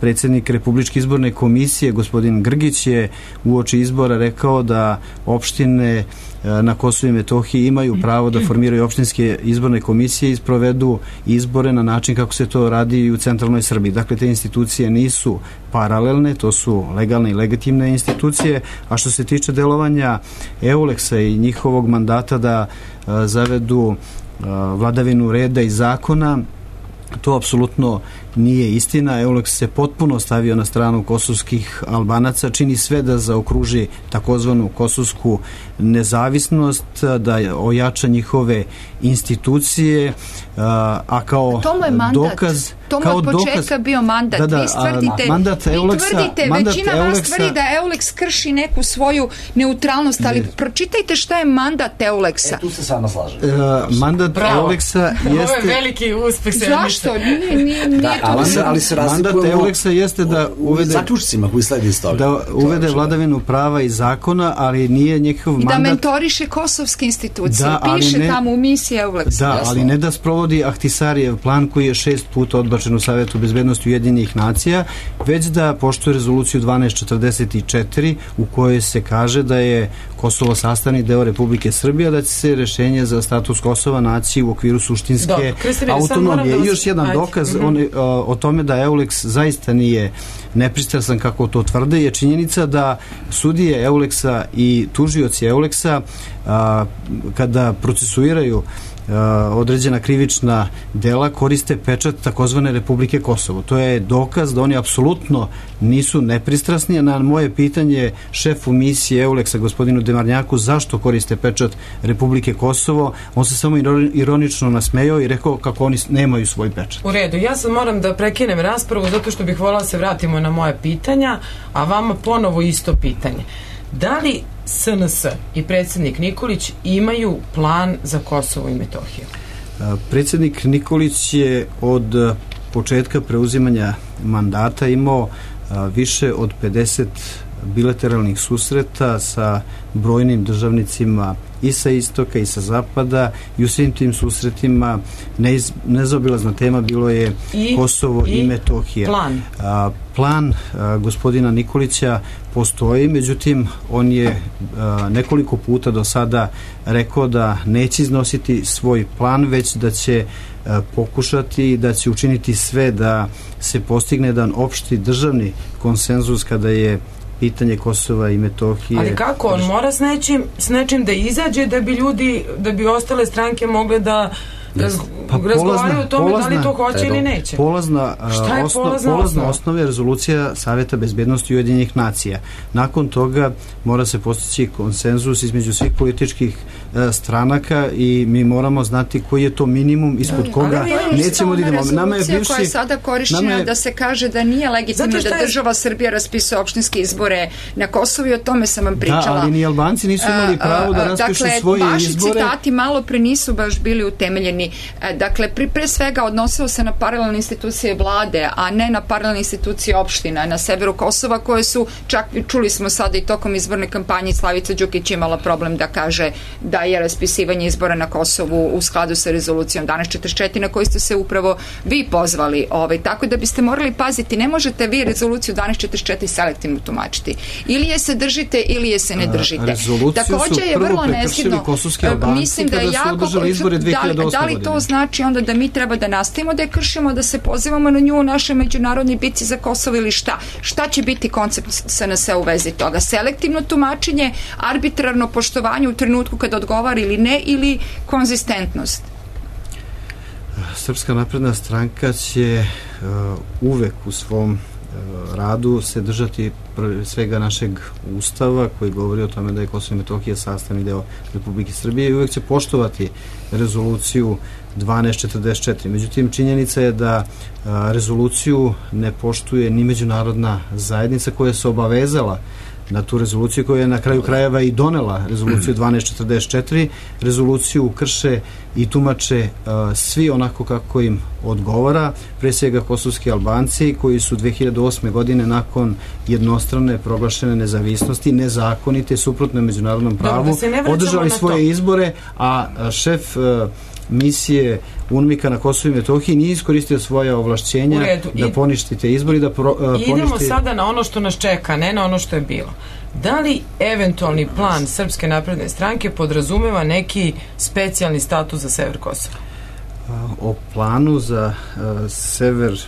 predsjednik Republičke izborne komisije gospodin Grgić je uoči izbora rekao da opštine na Kosovu i Metohiji imaju pravo da formiraju opštinske izborne komisije i sprovedu izbore na način kako se to radi i u centralnoj Srbiji. Dakle, te institucije nisu paralelne, to su legalne i legitimne institucije, a što se tiče delovanja Euleksa i njihovog mandata da a, zavedu a, vladavinu reda i zakona, To apsolutno nije istina. Euleks se potpuno stavio na stranu kosovskih Albanaca, čini sve da zaokruži takozvanu kosovsku nezavisnost, da ojača njihove institucije, a kao to mu je mandat. dokaz... To mu je od početka bio mandat. Da, da, vi stvrdite, mandat Euleksa, vi tvrdite mandat većina Euleksa, vas tvrdi da Euleks krši neku svoju neutralnost, ali ne. Pročitajte šta je mandat Euleksa. E, tu se sama slažem. Uh, mandat Bravo. Euleksa jeste... Ovo je veliki uspeh. Zašto? Nije, nije, nije da, ali, se, ali se mandat Euleksa jeste da uvede... zaključcima koji sledi iz toga. Da uvede vladavinu prava i zakona, ali nije njegov mandat... I da mentoriše kosovske institucije. Da, piše ne, tamo u misiji Euleksa. Da, ali ne da sprovodi Ahtisarijev plan koji je šest puta odbačen u Savetu bezbednosti Ujedinjenih nacija, već da poštuje rezoluciju dvanaest četrdeset četiri u kojoj se kaže da je Kosovo sastavni deo Republike Srbije, da će se rešenje za status Kosova naći u okviru suštinske Do, autonomije. I još jedan Ajde. dokaz mm-hmm. on, o, o tome da Euleks zaista nije nepristrasan kako to tvrde je činjenica da sudije Euleksa i tužioci Euleksa a, kada procesuiraju određena krivična dela koriste pečat takozvane Republike Kosovo. To je dokaz da oni apsolutno nisu nepristrasni. Na moje pitanje šefu misije Euleksa gospodinu Demarnjaku zašto koriste pečat Republike Kosovo, on se samo ironično nasmejao i rekao kako oni nemaju svoj pečat. U redu, ja sad moram da prekinem raspravu zato što bih voljela da se vratimo na moje pitanja, a vama ponovo isto pitanje. Da li S N S i predsjednik Nikolić imaju plan za Kosovo i Metohiju? Predsjednik Nikolić je od početka preuzimanja mandata imao više od pedeset bilateralnih susreta sa brojnim državnicima i sa istoka i sa zapada i u svim tim susretima neiz, nezaobilazna tema bilo je I, Kosovo i, i Metohija. Plan? A, plan a, gospodina Nikolića postoji, međutim on je a, nekoliko puta do sada rekao da neće iznositi svoj plan, već da će a, pokušati da će učiniti sve da se postigne jedan opšti državni konsenzus kada je pitanje Kosova i Metohije. Ali kako? On mora s nečim, s nečim da izađe da bi ljudi, da bi ostale stranke mogle da raz, pa razgovaraju o tome polazna, da li to hoće treba. ili neće. Polazna, Šta je osno, polazna, polazna osnova je rezolucija Saveta bezbednosti Ujedinjenih nacija. Nakon toga mora se postići konsenzus između svih političkih uh, stranaka i mi moramo znati koji je to minimum ispod da, koga nećemo da idemo. Nama je bivši, koja je sada korišćena je, da se kaže da nije legitimno da država Srbija raspisuje opštinske izbore na Kosovu i o tome sam vam pričala. Da, ali ni Albanci nisu imali pravo da raspišu dakle, svoje vaši izbore. Vaši citati malo pre nisu baš bili utemeljeni. Dakle, pre, pre svega odnosilo se na paralelne institucije vlade, a ne na paralelne institucije opština na severu Kosova, koje su, čak čuli smo sada i tokom izborne kampanje, Slavica Đukić imala problem da kaže da je raspisivanje izbora na Kosovu u skladu sa rezolucijom dvanaest četrdeset četiri na koju ste se upravo vi pozvali. Ovaj, tako da biste morali paziti, ne možete vi rezoluciju dvanaest četrdeset četiri selektivno tumačiti. Ili je se držite, ili je se ne držite. Rezoluciju Takođe su je prvo vrlo prekršili nezgodno, kosovski Albanci mislim da kada jako, su održali izbore dve hiljade osme da, da li to znači onda da mi treba da nastavimo da je kršimo, da se pozivamo na nju u našoj međunarodnoj bitci za Kosovo ili šta? Šta će biti koncept S N S u vezi toga? Selektivno tumačenje, arbitrarno poštovanje u trenutku kada odgovara ili ne, ili konzistentnost? Srpska napredna stranka će uh, uvek u svom uh, radu se držati pre svega našeg ustava koji govori o tome da je Kosovo i Metohija sastavni deo Republike Srbije i uvek će poštovati rezoluciju dvanaest četrdeset četiri. Međutim, činjenica je da a, rezoluciju ne poštuje ni međunarodna zajednica koja se obavezala na tu rezoluciju, koja je na kraju krajeva i donela rezoluciju dvanaest četrdeset četiri. Rezoluciju krše i tumače a, svi onako kako im odgovara, pre svega kosovski Albanci koji su dve hiljade osme godine nakon jednostrane proglašene nezavisnosti, nezakonite, suprotne međunarodnom pravu, da održali svoje izbore, a, a šef a, misije UNMIK-a na Kosovu i Metohiji nije iskoristio svoje ovlašćenja da poništi te izbori, da pro, uh, poništi... Idemo sada na ono što nas čeka, ne na ono što je bilo. Da li eventualni plan Srpske napredne stranke podrazumeva neki specijalni status za sever Kosova? O planu za uh, sever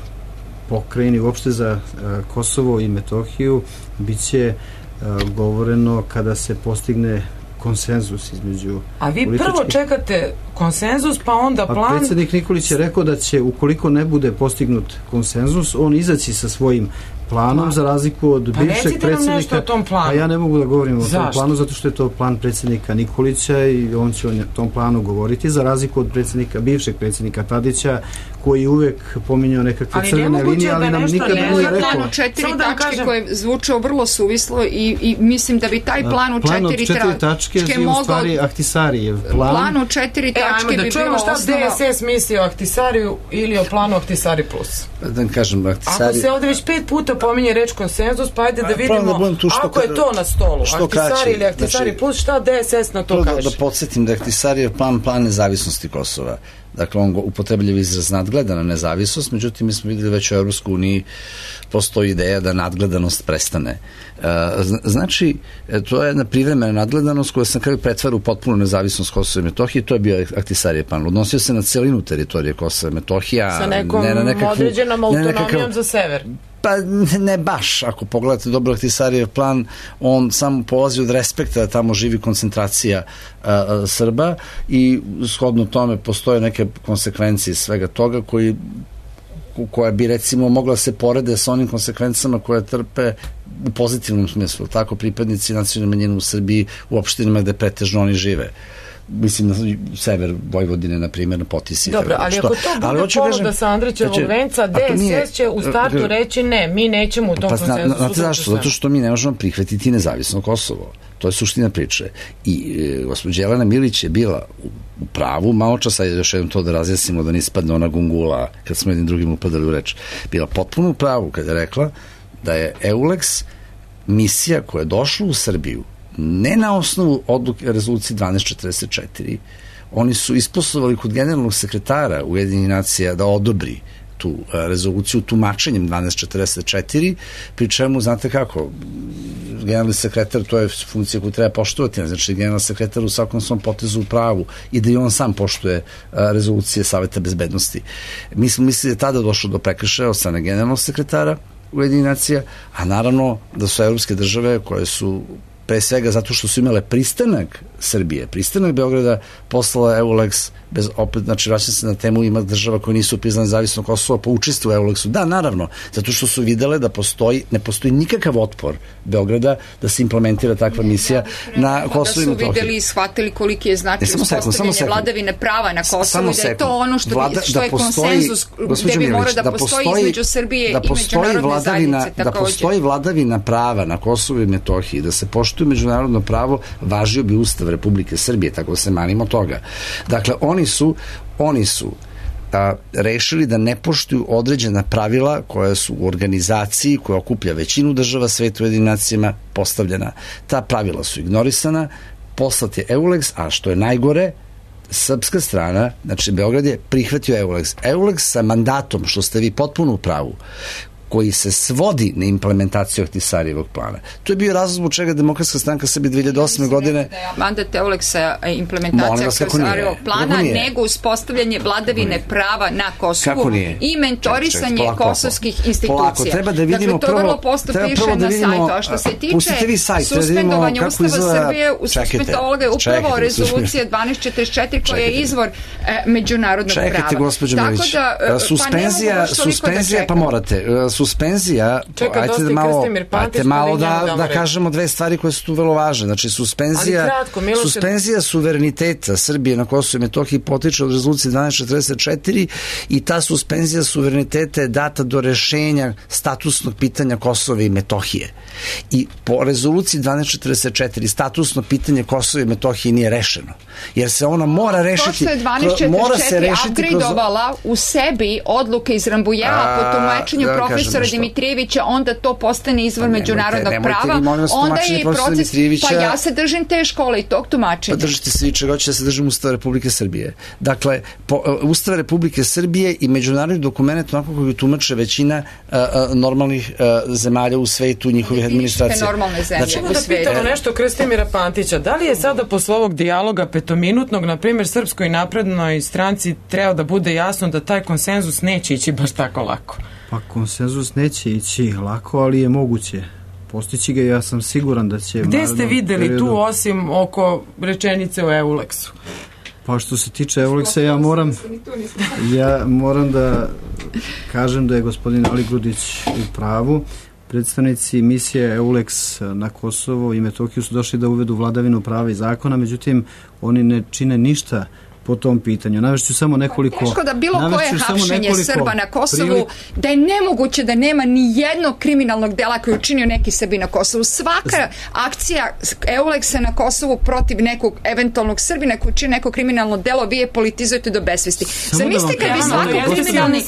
pokrajine, uopšte za uh, Kosovo i Metohiju, bit će uh, govoreno kada se postigne konsenzus između A vi političkih... prvo čekate konsenzus, pa onda plan... A predsjednik Nikolić je rekao da će, ukoliko ne bude postignut konsenzus, on izaći sa svojim planom, za razliku od pa bivšeg predsjednika. Pa recite nam nešto o tom planu. A ja ne mogu da govorim Zašto? o tom planu, zato što je to plan predsjednika Nikolića i on će o tom planu govoriti, za razliku od predsjednika, bivšeg predsjednika Tadića, koji uvek pominjao nekakve ali crvene linije, ali nam nikada ne, nije rekao. Plan u četiri tačke kažem... koje je zvučao vrlo suvislo i, i mislim da bi taj plan u četiri, plan od četiri tačke je mogao... u stvari Ahtisarijev plan. Plan u četiri tačke e, bi da čujemo bilo šta osnova... D S S misli o Ahtisariju ili o planu Ahtisari plus. Da kažem, Ahtisari... Ako se ovdje već pet puta pominje reč konsenzus, pa ajde da vidimo, da tu što, ako je to na stolu, Ahtisari ili Ahtisari znači, plus, šta D S S na to kaže? Da, da podsjetim da je Ahtisarijev plan, plan nezavisnosti Kosova. Dakle, on upotrebljiv izraz nadgledana nezavisnost, međutim, mi smo vidjeli već u Europskoj uniji postoji ideja da nadgledanost prestane. Znači, to je jedna privremena nadgledanost koja se na kraju pretvara u potpunu nezavisnost Kosova i Metohije, to je bio Ahtisarijev plan. Odnosio se na celinu teritorije Kosova i Metohija. Sa nekom ne na nekakvu, određenom autonomijom nekakav, za sever. Pa ne baš, ako pogledate dobro Ahtisarijev plan, on samo polazi od respekta da tamo živi koncentracija a, a, Srba i shodno tome postoje neke konsekvencije svega toga koji koja bi recimo mogla se porede sa onim konsekvencama koje trpe u pozitivnom smislu, tako pripadnici nacionalne manjine u Srbiji u opštinama gde pretežno oni žive. Mislim na sever Vojvodine, na primjer, na Potisi. Dobro, ali ako to bude ponuda sa Andrićevog venca, D S S će u startu reći ne, mi nećemo u tom pa, konsenzusu. Znate zašto? Zato što mi ne možemo prihvatiti nezavisno Kosovo. To je suština priče. I e, gospođa Jelena Milić je bila u, u pravu, malo časa je još jednom to da razjasnimo, da ne ispadne ona gungula kad smo jednim drugim upadali u reč. Bila potpuno u pravu kada je rekla da je EULEX misija koja je došla u Srbiju ne na osnovu odluke rezolucije dvanaest četrdeset četiri, oni su isposlovali kod generalnog sekretara Ujedinjenih nacija da odobri tu rezoluciju tumačenjem dvanaest četrdeset četiri, pri čemu, znate kako, generalni sekretar, to je funkcija koju treba poštovati, znači generalni sekretar u svakom svom potezu u pravu i da i on sam poštuje rezolucije Saveta bezbednosti. Mi smo mislili da tada došlo do prekršaja od strane generalnog sekretara Ujedinjenih nacija, a naravno da su evropske države koje su pre svega zato što su imale pristanak Srbije, pristanak Beograda, poslala EULEX, bez, opet, znači vraćam se na temu, ima država koje nisu priznane nezavisno Kosovo, pa učestvuju u EULEX-u. Da, naravno, zato što su videle da postoji, ne postoji nikakav otpor Beograda da se implementira takva misija na Kosovo i Metohiji. Da su videli i shvatili koliki je značaj uspostavljanje vladavine prava na Kosovu i da je to ono što, Vlada, što je da postoji, konsenzus gde bi mora da, da postoji između Srbije da i međunarodne zajednice. Da postoji vladavina prava na Kosovu i Metohiji, da se poštuje međunarodno pravo, važio bi Ustav Republike Srbije, tako se manimo toga. Dakle, oni su, oni su a, rešili da ne poštuju određena pravila koja su u organizaciji koja okuplja većinu država sveta u Ujedinjenim nacijama postavljena. Ta pravila su ignorisana, poslat je EULEX, a što je najgore, srpska strana, znači Beograd je prihvatio EULEX. EULEX sa mandatom, što ste vi potpuno u pravu, koji se svodi na implementaciju Ahtisarijevog plana. To je bio razlog zbog čega Demokratska stranka Srbije dve hiljade osme godine... Mandat EULEX-a implementacija Ahtisarijevog plana, nego uspostavljanje vladavine prava na Kosovu i mentorisanje ček, ček, kosovskih institucija. Polako, treba da vidimo dakle, to vrlo posto piše da na sajtu. A što se tiče sajt, suspendovanja da Ustava izgleda... Srbije, u suspendovanja je upravo rezolucija dvanaest četrdeset četiri koja je izvor e, međunarodnog čekajte, prava. Čekajte, gospođo Milić. Suspenzija, pa suspenzija, pa morate... Suspenzija, Čeka, ajte da malo, ajte malo da, da kažemo dve stvari koje su tu vrlo važne. Znači, suspenzija, kratko, suspenzija suvereniteta Srbije na Kosovu i Metohiji potiče od rezolucije dvanaest četrdeset četiri i ta suspenzija suvereniteta je data do rešenja statusnog pitanja Kosova i Metohije. I po rezoluciji dvanaest četrdeset četiri statusno pitanje Kosova i Metohije nije rešeno. Jer se ona mora rešiti... To što je dvanaest četrdeset četiri upgradeovala kroz... u sebi odluke iz Rambujeva po tumačenju da, profesora Dimitrijevića, onda to postane izvor ne, međunarodnog nemojte, prava, nemojte onda je i proces, pa ja se držim te škole i tog tumačenja. Pa držite se i čega hoće da se držim Ustava Republike Srbije. Dakle, po, uh, Ustava Republike Srbije i međunarodni dokument onako koji tumače većina uh, uh, normalnih uh, zemalja u svetu, njihovih administracija. Normalne zemlje znači, u svetu. Da pitamo nešto Krstimira Pantića, da li je sada posle ovog dijaloga petominutnog, na primjer, Srpskoj naprednoj stranci treba da bude jasno da taj konsenzus neće ići baš tako lako? Pa konsenzus neće ići lako, ali je moguće postići ga. Ja sam siguran da će... Gde ste videli periodu... tu osim oko rečenice o Euleksu? Pa što se tiče Euleksa, ja moram ja moram da kažem da je gospodin Ali Grudić u pravu. Predstavnici misije Euleks na Kosovo i Metohiju su došli da uvedu vladavinu prava i zakona, međutim oni ne čine ništa po tom pitanju. Navešću samo nekoliko... Teško da bilo koje hapšenje Srba na Kosovu, prilik... da je nemoguće da nema ni jednog kriminalnog dela koji je učinio neki Srbi na Kosovu. Svaka akcija Euleksa na Kosovu protiv nekog eventualnog Srbina koji učinio neko kriminalno delo, vi je politizujete do besvesti. Zamislite kad bi svaka kriminalni...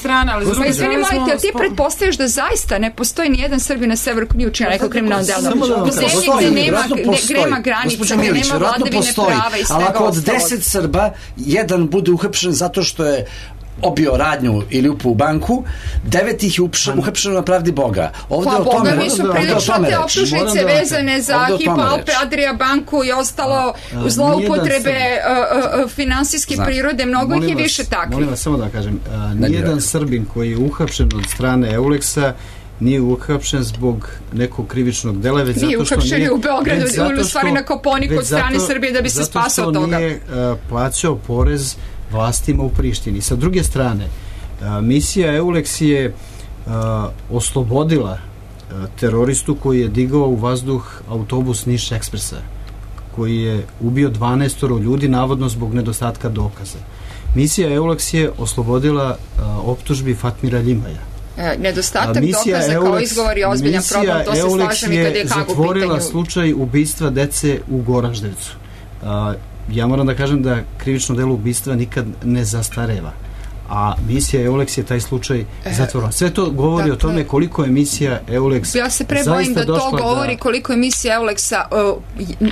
Pa izvini, molite, ali ti pretpostavljaš da zaista ne postoji ni jedan Srbin na severu koji nije učinio neko kriminalno delo. U zemlji gde nema, gde nema granica, gde nema vladavine prava i svega ostalog. Jedan bude uhapšen zato što je obio radnju ili upao u banku, devet ih je uhapšeno na pravdi Boga. Ovde pa o tome Boga mi su prilično te optužnice vezane za Hypo Alpe Adria banku i ostalo zloupotrebe finansijske prirode, mnogo ih je više takvih. Molim vas samo da kažem, nijedan Srbin koji je uhapšen od strane Euleksa nije uhapšen zbog nekog krivičnog dela, već zato što nije... Nije uhapšen u Beogradu, u stvari na Koponiku od strane Srbije da bi se spasao toga. Zato što nije uh, plaćao porez vlastima u Prištini. Sa druge strane, uh, misija Euleks je uh, oslobodila uh, teroristu koji je digao u vazduh autobus Niš Ekspresa, koji je ubio dvanaest ljudi, navodno zbog nedostatka dokaza. Misija Euleks je oslobodila uh, optužbi Fatmira Ljimaja. Nedostatak dokaza kao izgovor je ozbiljan problem, to se slažem i kad je Hag u pitanju. Misija Euleks je zatvorila slučaj ubistva dece u Goraždevcu. Ja moram da kažem da krivično delo ubistva nikad ne zastareva, a misija Euleks je taj slučaj zatvorila. Sve to govori o tome koliko je misija Euleks ja se prebojim da to govori koliko je misija Euleksa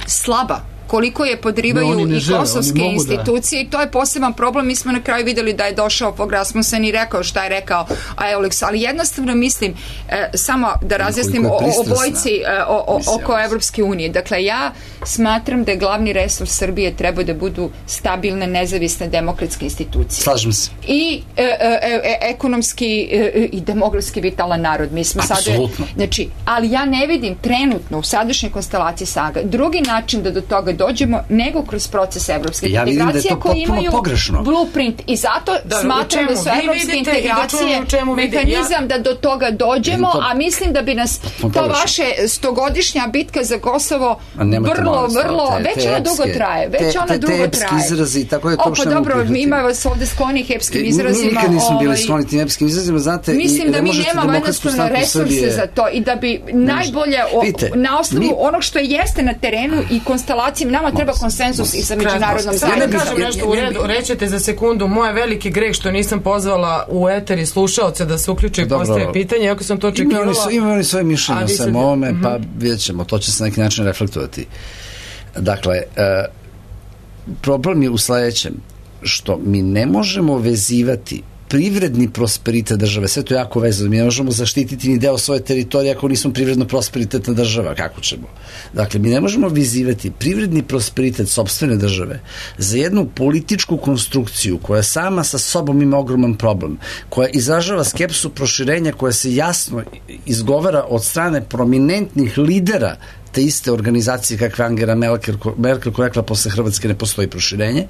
slaba, koliko je podrivaju ne, i žele, kosovske institucije da... i to je poseban problem. Mi smo na kraju videli da je došao Fogh Rasmussen i rekao šta je rekao a Euleks, ali jednostavno mislim e, samo da razjasnim o, o bojci e, o, o, oko Evropske unije. Dakle, ja smatram da je glavni resurs Srbije treba da budu stabilne, nezavisne, demokratske institucije. Slažem se. I e, e, e, ekonomski e, i demografski vitalan narod. Mi smo sada, znači, ali ja ne vidim trenutno u sadašnjoj konstelaciji Saga drugi način da do toga dođemo nego kroz proces evropske ja integracije da koji imaju pogrešno. blueprint i zato da, smatram da su evropske integracije da mehanizam ja... da do toga dođemo, to... a mislim da bi nas to, to vaše stogodišnja bitka za Kosovo vrlo, vrlo, te, već te ona epske, dugo traje, već te, ona te, dugo te traje. Izrazi, tako je to o, pa dobro, ima vas ovde sklonih epskim izrazima. Nikad nismo bili skloni tim epskim izrazima, znate, mislim da mi nemamo jednostavno resurse za to i da bi najbolje na osnovu onog što jeste na terenu i konstelacije nama treba konsenzus i sa međunarodnom zajednicom. Ja ne kažem nešto u redu, rećete za sekundu, moje veliki greh što nisam pozvala u eter i slušaoce da se uključe i postave pitanje, ako sam to očekivala. Imaju oni svoje mišljenje samo ovome, mm-hmm. pa vidjet ćemo, to će se na neki način reflektovati. Dakle, e, problem je u sledećem, što mi ne možemo vezivati privredni prosperitet države, sve to je jako vezano, mi ne možemo zaštititi ni deo svoje teritorije ako nismo privredno prosperitetna država, kako ćemo? Dakle, mi ne možemo vizivati privredni prosperitet sopstvene države za jednu političku konstrukciju koja sama sa sobom ima ogroman problem, koja izražava skepsu proširenja, koja se jasno izgovara od strane prominentnih lidera te iste organizacije kakve Angela Merkel, Merkel koja rekla posle Hrvatske ne postoji proširenje.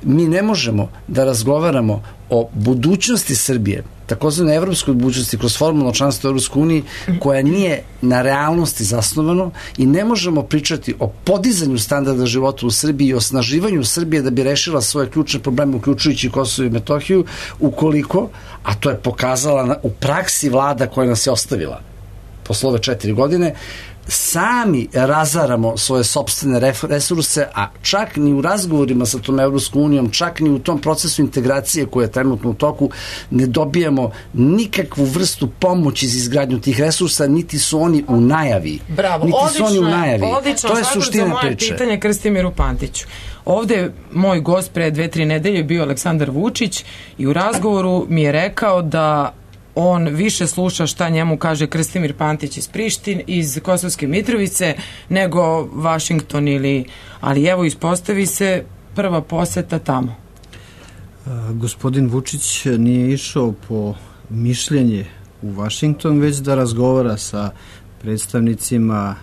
Mi ne možemo da razgovaramo o budućnosti Srbije, takozvane evropskoj budućnosti kroz formalno članstvo u Evropskoj uniji, koja nije na realnosti zasnovano i ne možemo pričati o podizanju standarda života u Srbiji i osnaživanju Srbije da bi rešila svoje ključne probleme, uključujući Kosovo i Metohiju, ukoliko, a to je pokazala u praksi vlada koja nas je ostavila posle ove četiri godine, sami razaramo svoje sopstvene resurse, a čak ni u razgovorima sa tom Evropskom unijom, čak ni u tom procesu integracije koja je trenutno u toku, ne dobijamo nikakvu vrstu pomoći za izgradnju tih resursa, niti su oni u najavi. Bravo, niti odlično, su oni u najavi. Odlično, to je suština priče. Moje pitanje Krstimiru Pantiću. Ovde je moj gost pre dve, tri nedelje bio Aleksandar Vučić i u razgovoru mi je rekao da on više sluša šta njemu kaže Krstimir Pantić iz Prištine, iz Kosovske Mitrovice, nego Vašington ili... Ali evo, ispostavi se prva poseta tamo. A, gospodin Vučić nije išao po mišljenje u Vašington, već da razgovara sa predstavnicima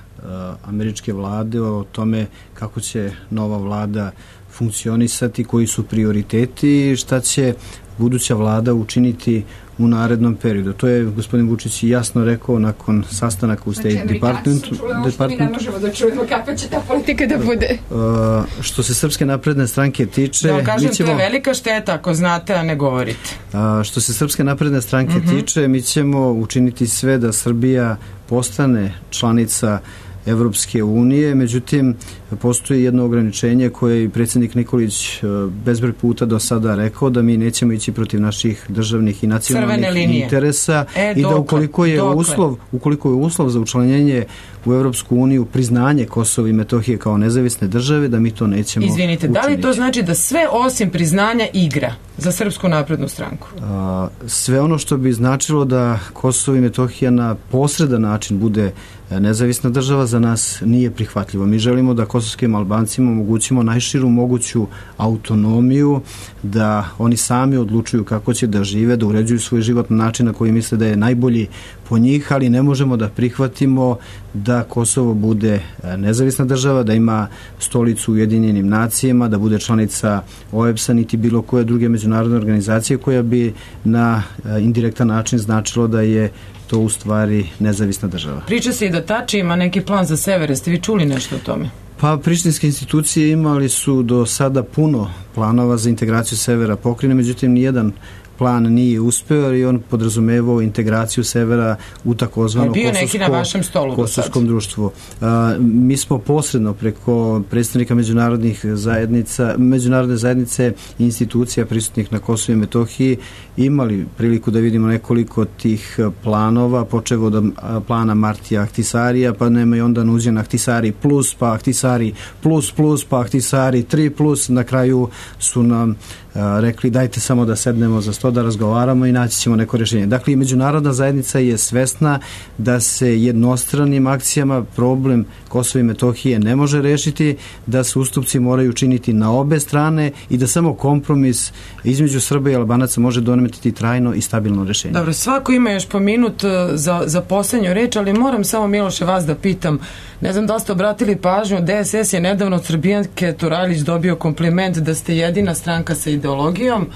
američke vlade o tome kako će nova vlada funkcionisati, koji su prioriteti i šta će buduća vlada učiniti u narednom periodu. To je gospodin Vučić jasno rekao nakon sastanaka u State znači, Departmentu. Znači, mi ne možemo da čujemo kakva će ta politika da bude. Uh, što se Srpske napredne stranke tiče... Da, kažem, ćemo, to je velika šteta ako znate, a ne govorite. Uh, što se Srpske napredne stranke mm-hmm. tiče, mi ćemo učiniti sve da Srbija postane članica Evropske unije, međutim postoji jedno ograničenje koje je predsjednik Nikolić bezbroj puta do sada rekao, da mi nećemo ići protiv naših državnih i nacionalnih interesa e, i dokle, da ukoliko je dokle. uslov ukoliko je uslov za učlanjenje u Evropsku uniju priznanje Kosova i Metohije kao nezavisne države, da mi to nećemo Izvinite, učiniti. Da li to znači da sve osim priznanja igra za Srpsku naprednu stranku? A, sve ono što bi značilo da Kosovo i Metohija na posredan način bude nezavisna država za nas nije prihvatljivo. Mi želimo da kosovskim Albancima omogućimo najširu moguću autonomiju, da oni sami odlučuju kako će da žive, da uređuju svoj život na način na koji misle da je najbolji po njih, ali ne možemo da prihvatimo da Kosovo bude nezavisna država, da ima stolicu u Ujedinjenim nacijama, da bude članica O E B S-a, niti bilo koje druge međunarodne organizacije koja bi na indirektan način značilo da je to u stvari nezavisna država. Priča se i da Tači ima neki plan za sever, jeste vi čuli nešto o tome? Pa prištinske institucije imali su do sada puno planova za integraciju severa pokrajine, međutim nijedan plan nije uspeo i on podrazumevao integraciju severa u takozvano kosovsko, kosovskom društvu. A, mi smo posredno preko predstavnika međunarodnih zajednica, međunarodne zajednice i institucija prisutnih na Kosovu i Metohiji imali priliku da vidimo nekoliko tih planova, počevo od plana Martija Ahtisarija, pa nema i onda nuđen Ahtisari plus, pa Ahtisari plus plus, pa Ahtisari tri plus, na kraju su nam a, rekli dajte samo da sednemo za sto da razgovaramo i naći ćemo neko rješenje. Dakle, i međunarodna zajednica je svesna da se jednostranim akcijama problem Kosova i Metohije ne može rešiti, da se ustupci moraju činiti na obe strane i da samo kompromis između Srba i Albanaca može doneti trajno i stabilno rešenje. Dobro, svako ima još po minut za, za poslednju reč, ali moram samo, Miloše, vas da pitam, ne znam da ste obratili pažnju, D S S je nedavno od Srbijanke Turajlić dobio kompliment da ste jedina stranka sa ideologijom,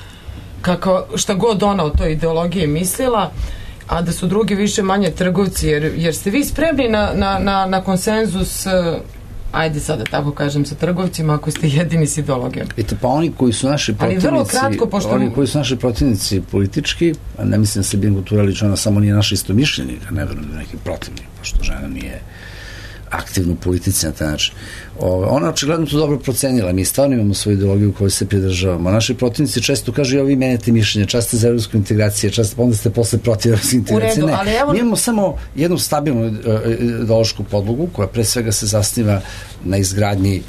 kako, šta god ona o toj ideologiji mislila, a da su drugi više manje trgovci, jer, jer ste vi spremni na, na, na, na konsenzus, ajde sada tako kažem, sa trgovcima, ako ste jedini s ideologijom. Ete, pa oni koji su naši protivnici, kratko, pošto... oni koji su naši protivnici politički, ne mislim da se Bingu Turajlić, ona samo nije naša istomišljenika, ne verujem da neki protivnik, pošto žena nije aktivno u politici na taj način. Ona očigledno to dobro procenila. Mi stvarno imamo svoju ideologiju u kojoj se pridržavamo. Naši protivnici često kažu, ja vi menjate mišljenje, čast ste za evropsku integraciju, čast pa onda ste posle protiv evropske integracije. Ne, evo... mi imamo samo jednu stabilnu ideološku podlogu koja pre svega se zasniva na izgradnji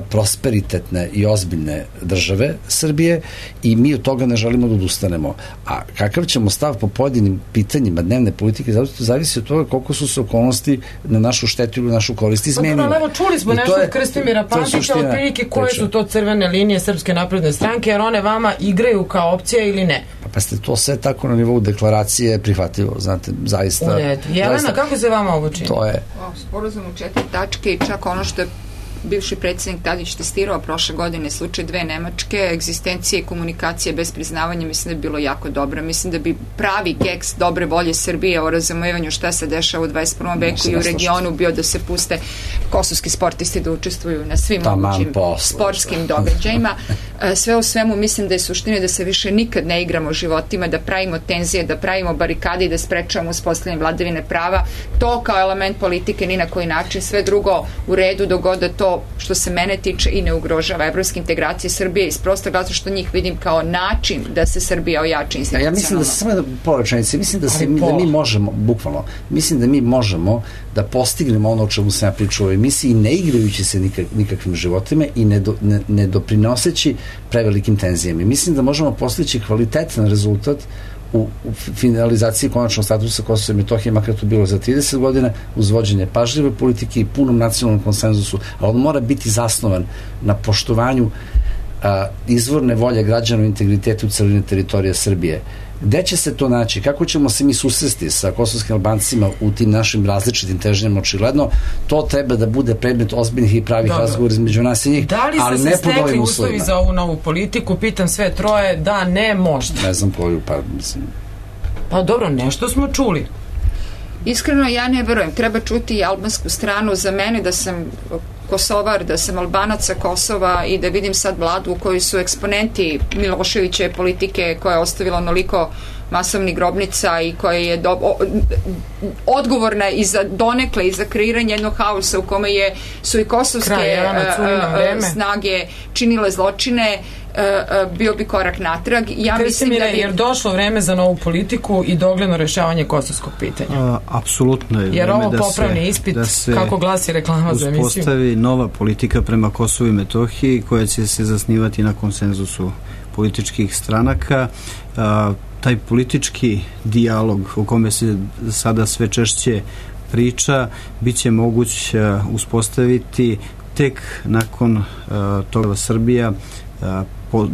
prosperitetne i ozbiljne države Srbije i mi od toga ne želimo da odustanemo. A kakav ćemo stav po pojedinim pitanjima dnevne politike, zato to zavisi od toga koliko su se okolnosti na našu štetu ili našu korist izmenile. Pa, evo, čuli smo nešto od Krstimira Pantića, od prilike koje su to crvene linije Srpske napredne stranke, jer one vama igraju kao opcija ili ne? Pa, pa ste to sve tako na nivou deklaracije prihvatljivo, znate, zaista. Jelena, zaista, kako se vama ovo čini? To je. Sporazum u četiri tačke i čak ono što je bivši predsjednik Tadić testirao prošle godine, slučaj dve Nemačke, egzistencije i komunikacije bez priznavanja, mislim da bi bilo jako dobro. Mislim da bi pravi keks dobre volje Srbije o razumevanju šta se dešava u dvadeset prvom veku i u regionu bio da se puste kosovski sportisti da učestvuju na svim mogućim sportskim događajima. Sve u svemu mislim da je suština da se više nikad ne igramo životima, da pravimo tenzije, da pravimo barikade i da sprečavamo uspostavljanje vladavine prava. To kao element politike ni na koji način, sve drugo u redu dok god da to što se mene tiče i ne ugrožava evropske integracije Srbije iz prostog razloga što njih vidim kao način da se Srbija ojača institucionalno. Ja mislim da se samo da površenice, mislim da, se, da mi možemo, bukvalno, mislim da mi možemo da postignemo ono o čemu sam ja pričao u ovoj emisiji, ne igrajući se nikak, nikakvim životima i ne, do, ne, ne doprinoseći prevelikim tenzijama. Mislim da možemo postići kvalitetan rezultat u, u finalizaciji konačnog statusa Kosova i Metohije, makar to bilo za trideset godina, uz vođenje pažljive politike i punom nacionalnom konsenzusu, a on mora biti zasnovan na poštovanju a, izvorne volje građana u integritetu celine teritorije Srbije. Gde će se to naći? Kako ćemo se mi susresti sa kosovskim Albancima u tim našim različitim težnjama? Očigledno, to treba da bude predmet ozbiljnih i pravih razgovora između nas i njih, da li ali se ne se pod ovim stekli uslovima. uslovi za ovu novu politiku? Pitam sve troje, da, ne, možda. Ne znam koju, pa mislim... Pa dobro, nešto smo čuli. Iskreno, ja ne verujem. Treba čuti i albansku stranu. Za mene da sam Kosovar, da sam Albanac sa Kosova i da vidim sad vladu u kojoj su eksponenti Miloševićeve politike koja je ostavila onoliko masovnih grobnica i koja je do, o, odgovorna i za donekle i za kreiranje jednog haosa u kome je, su i kosovske Kraj, Jelena, a, a, snage činile zločine, a, a, bio bi korak natrag. Ja mislim da bi... Jer došlo vreme za novu politiku i dogledno rešavanje kosovskog pitanja. A, apsolutno je vreme. Jer ovo da popravni se, ispit, da se kako glasi reklama za emisiju. Uspostavi nova politika prema Kosovu i Metohiji koja će se zasnivati na konsenzusu političkih stranaka. A, taj politički dijalog o kome se sada sve češće priča bit će moguć uh, uspostaviti tek nakon uh, toga Srbija uh, po,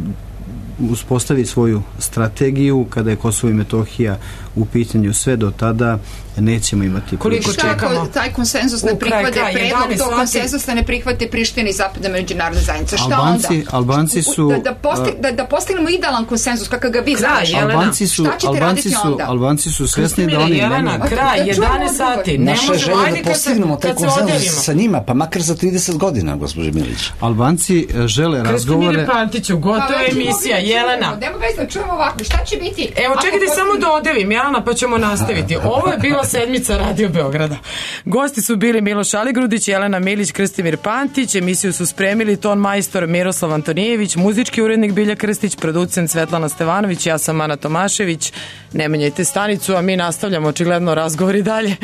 uspostavi svoju strategiju. Kada je Kosovo i Metohija u pitanju, sve do tada nećemo imati koliko čekamo. čekamo Taj konsenzus ne prihvate predlog, to konsenzus ne prihvate Priština i zapadna međunarodna zajednica. Šta Albanci, onda? Albanci su... Da, da, postig, da, da postignemo idealan konsenzus kakav ga vi znaš. Albanci su, Albanci su, Albanci su svesni da oni Jelena, nemaju... kraj, jedanaest sati. Naša je želja da postignemo taj konsenzus sa njima, pa makar za trideset godina, gospođe Milić. Albanci žele razgovore... Kristimire Pantiću, gotova emisija, Jelena. Nemo već da čujemo ovako, šta će biti? Evo, čekajte samo da odevim, Jelena, pa ćemo nastaviti. Ovo je bila sedmica Radio Beograda. Gosti su bili Miloš Aligrudić, Jelena Milić, Kristimir Pantić. Emisiju su spremili ton majstor Miroslav Antonijević, muzički urednik Bilja Krstić, producent Svetlana Stevanović, ja sam Ana Tomašević. Ne menjajte stanicu, a mi nastavljamo očigledno razgovori dalje.